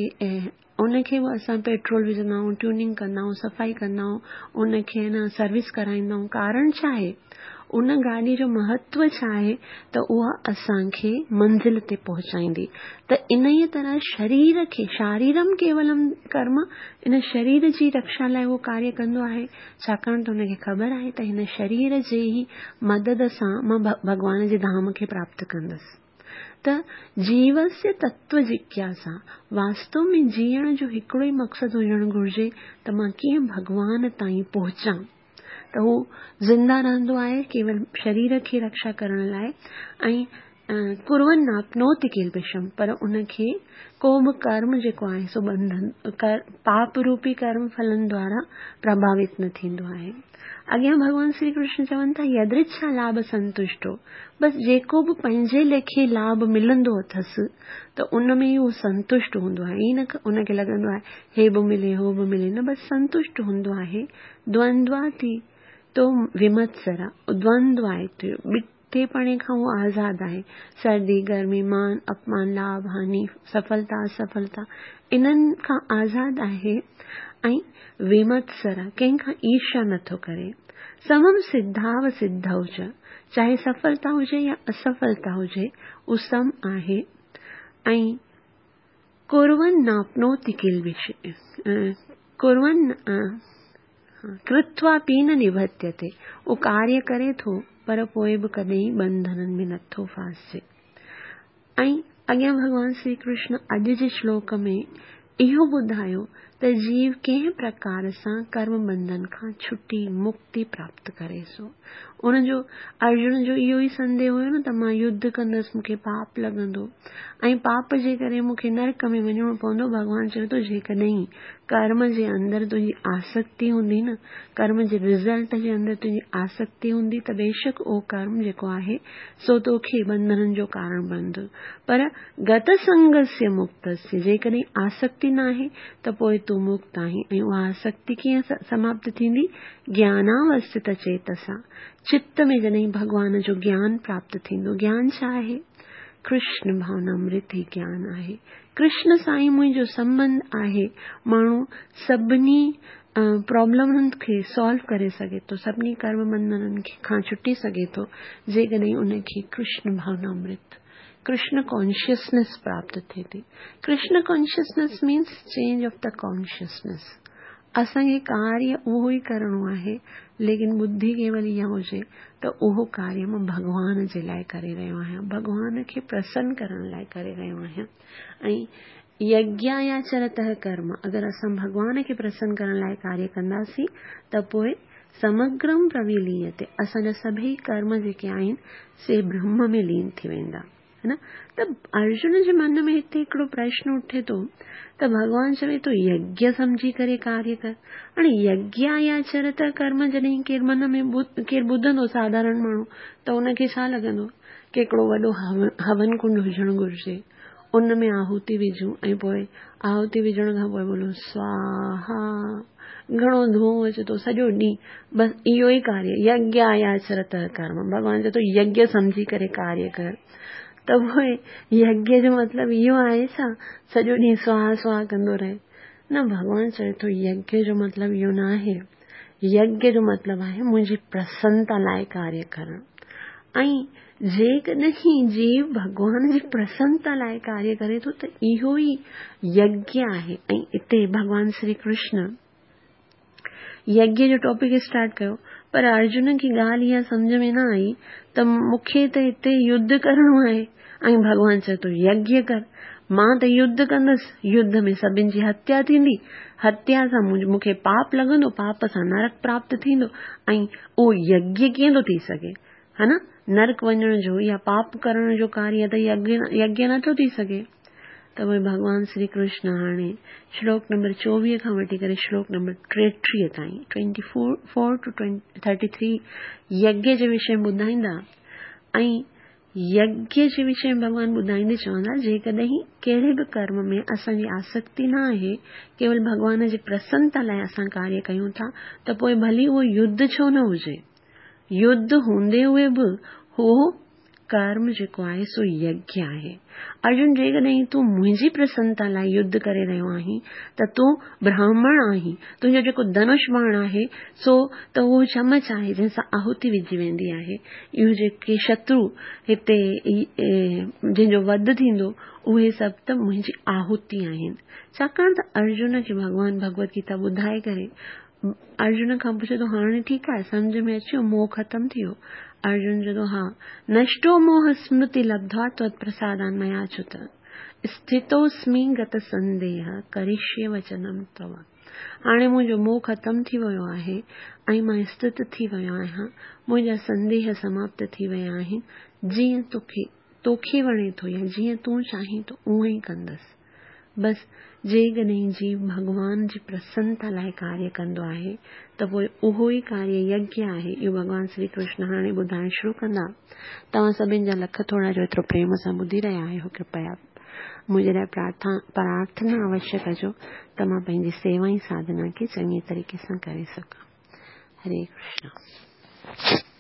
Speaker 1: ان کي به اسان پيٽرول وجهندا آهيون، ٽيوننگ ڪندا آهيون، صفائي ڪندا آهيون، ان کي نه سروس ڪرائيندا آهيون. ڪارڻ ڇا آهي؟ ان گاڏي جو مهتو ڇا آهي؟ ته اها اسان کي منزل تي پهچائيندي. ته ان ئي طرح شرير کي شاريرم ڪيولم ڪرم، ان شرير جي رڪشا لاءِ اهو ڪاريه ڪندو آهي، ڇاڪاڻ ته ان کي خبر آهي ته هن شرير جي ئي مدد سان مان ڀڳوان جي ڌام کي پراپت ڪندس. ته جيوسيه تتو جگياسا، واستو ۾ جيئڻ جو هڪڙو ئي مقصد هجڻ گهرجي ته مان ڪيئن ڀڳوان تائين پهچان. ته هو زنده رهندو آهي ڪيول شرير کي رڪشا ڪرڻ لاءِ ۽ ڪرون ناپنوتي ڪلبشم، پر ان کي ڪو به ڪرم جيڪو آهي سو بنڌن پاپ روپي ڪرم ڦلن دوارا پرڀاوت نه ٿيندو آهي. اڳيان ڀڳوان شري ڪرشن چون ٿا يدرڇا لاڀ سنتشٽو، بس جيڪو به پنهنجي ليکي لاڀ ملندو اٿس ته ان ۾ ئي اهو سنتشٽ هوندو آهي. ائين نه ان کي لڳندو آهي هي به ملي هو به ملي، نه، بس سنتشٽ هوندو آهي. دوندواتي تو ومتسرا، دوندو آهي ٻٽيپڻي کان اهو آزاد آهي. سردي گرمي، مان اپمان، لاڀ هاني، سڦلتا اسڦلتا، انهن کان آزاد آهي. ۽ ومتسرا، ڪنهن کان ايرشا نٿو ڪري. سمم سڌاو سڌو چ، چاهي سڦلتا هجي يا اسڦلتا هجي اهو سم آهي. ۽ ڪرون ناپنوتي ڪلبش، ڪرون ڪرتوا پي نه نبتيتي، اهو ڪاريه ڪري ٿو پر پوءِ به ڪڏهن بنڌنن ۾ نٿو ڦاسجي. ۽ اڳيان ڀڳوان شري ڪرشن اڄ جي شلوڪ ۾ اهو ٻڌايو ته त जीव कंहिं प्रकार सां कर्म बंधन खां छुटी मुक्ति प्राप्त करे। सो उनजो अर्जुन जो इहो ई संदेह हुयो न त मां युद्ध कंदुसि, मूंखे पाप लॻंदो ऐं पाप जे करे मूंखे नरक में वञिणो पवंदो। भॻवान चवे थो जेकॾहिं कर्म जे अंदरि तुंहिंजी आसक्ति हूंदी न, कर्म जे रिज़ल्ट जे अंदरि तुंहिंजी आसक्ति हूंदी त बेशक उहो कर्म जेको आहे सो तोखे बंधननि जो कारण बणंदो, पर गतसंगस्य मुक्तस्य, जेकॾहिं आसक्ति न आहे त पोइ तूं मुक्त आहीं। ऐं उहा आसक्ति कीअं समाप्त थींदी? ज्ञानावस्थित चेतसा, चित्त में जॾहिं भॻवान जो ज्ञान प्राप्त थींदो। ज्ञान छा आहे? कृष्ण भावनामृत ई ज्ञान आहे। कृष्ण सां ई मुंहिंजो संबंध आहे। माण्हू सभिनी प्रॉब्लमनि खे सॉल्व करे सघे थो, सभिनी कर्म बंधननि खां छुटी सघे थो जेकॾहिं उनखे कृष्ण भावनामृत, कृष्ण कॉन्शियसनेस प्राप्त थिए थी। Krishna consciousness means change of the consciousness. असांखे कार्य उहो ई करिणो आहे, लेकिन बुद्धि केवल इहा हुजे त उहो कार्य मां भॻवान जे लाइ करे रहियो आहियां, भॻवान खे प्रसन्न करण लाइ करे रहियो आहियां। ऐं यज्ञायाचरतः कर्म, अगरि असां भॻवान खे प्रसन्न करण लाइ कार्य कंदासीं त पोइ समग्रम प्रविलीयते, असांजा सभई कर्म जेके आहिनि से ब्रह्म में लीन थी वेंदा, है न। त अर्जुन जे मन में हिते हिकिड़ो प्रश्न उठे थो त भॻवान चवे थो यज्ञ सम्झी करे कार्य कर। हाणे यज्ञायाचरत कर्म जॾहिं केरु मन में केरु ॿुधंदो साधारण माण्हू त उनखे छा लॻंदो की हिकिड़ो वॾो हवन कुंड हुजणु घुरिजे, उन में आहुति विझूं ऐं पोइ आहुति विझण खां पोइ बोलूं स्वाहा, घणो धुओं अचे थो सॼो ॾींहुं, बसि इहो ई कार्य यज्ञायाचरत कर्म। भॻवान चवे थो यज्ञ सम्झी करे कार्य कर, त पोइ यज्ञ जो मतिलबु इहो आहे छा सॼो ॾींहुं स्वाहा स्वाहा कंदो रहे? न, भॻवान चवे थो यज्ञ जो मतिलबु इहो न आहे। यज्ञ जो मतिलबु आहे मुंहिंजी प्रसन्नता लाइ कार्य करणु। ऐं जेकॾहिं जीव भॻवान जी प्रसन्नता लाइ कार्य करे थो त इहो ई यज्ञ आहे। ऐं हिते भॻवान श्री कृष्ण यज्ञ जो टॉपिक स्टार्ट कयो, पर अर्जुन खे ॻाल्हि इहा सम्झ में न आई त मूंखे त हिते युद्ध करिणो आहे ऐं भॻवान चए थो यज्ञ कर। मां त युद्ध कंदुसि, युद्ध में सभिनी जी हत्या थींदी, हत्या सां मूंखे पाप लॻंदो, पाप सां नरक प्राप्त थींदो, ऐं उहो यज्ञ कीअं थो थी सघे, हा न? नरक वञण जो या पाप करण जो कार्य त यज्ञ यज्ञ नथो थी सघे। त पोइ भॻवान श्री कृष्ण हाणे श्लोक नंबर चोवीह खां वठी करे श्लोक नंबर टेटीह ताईं, twenty four four to thirty three यज्ञ जे विषय में ॿुधाईंदा। ऐं यज्ञ जे विषय में भॻवान ॿुधाईंदे चवंदा जेकॾहिं कहिड़े बि कर्म में असांजी आसक्ति न आहे, केवल भॻवान जी प्रसन्नता लाइ असां कार्य कयूं था, त पोइ भली उहो युद्ध छो न हुजे, युद्ध हूंदे हुए बि उहो कर्म जेको आहे सो यज्ञ आहे। अर्जुन, जेकॾहिं तूं मुंहिंजी प्रसन्नता लाइ युद्ध करे रहियो आहीं त तूं ब्राह्मण आहीं, तुंहिंजो जेको धनुष बाण आहे सो त उहो चमच आहे जंहिंसां आहुति विझी वेंदी आहे। इहो जेके शत्रु हिते जंहिंजो वध थींदो उहे सभु त मुंहिंजी आहुति आहिनि। छाकाणि त अर्जुन खे भॻवान भगवत गीता ॿुधाए करे अर्जुन खां पुछे थो हाणे ठीकु आहे, सम्झ में अची वियो, मोह ख़तमु थी वियो? अर्जुन चए थो हा, नष्टो मोह स्मृति लब्ध्वा त्वत्प्रसादान् मया अच्युत स्थितोऽस्मि गत संदेह करिष्ये वचनम तव। हाणे मुंहिंजो मोह ख़तमु थी वियो आहे ऐं मां स्थित थी वियो आहियां, मुंहिंजा संदेह समाप्त थी विया आहिनि, जीअं तोखे तोखे वणे थो या जीअं तूं चाहीं थो उअं ई कंदुसि। बसि जेकॾहिं जीव भॻवान जी प्रसन्नता लाइ कार्य कंदो आहे त पोइ उहो ई कार्य यज्ञ आहे। इहो भॻवान श्री कृष्ण हाणे ॿुधाइण शुरू कंदा। तव्हां सभिनी जा लख थोरा जो एतिरो प्रेम सां ॿुधी रहिया आहियो, कृपया मुंहिंजे लाइ प्रार्थना प्रार्थना अवश्य कजो त मां पंहिंजी सेवा ऐं साधना खे चङे तरीक़े सां करे सघां। हरे कृष्ण।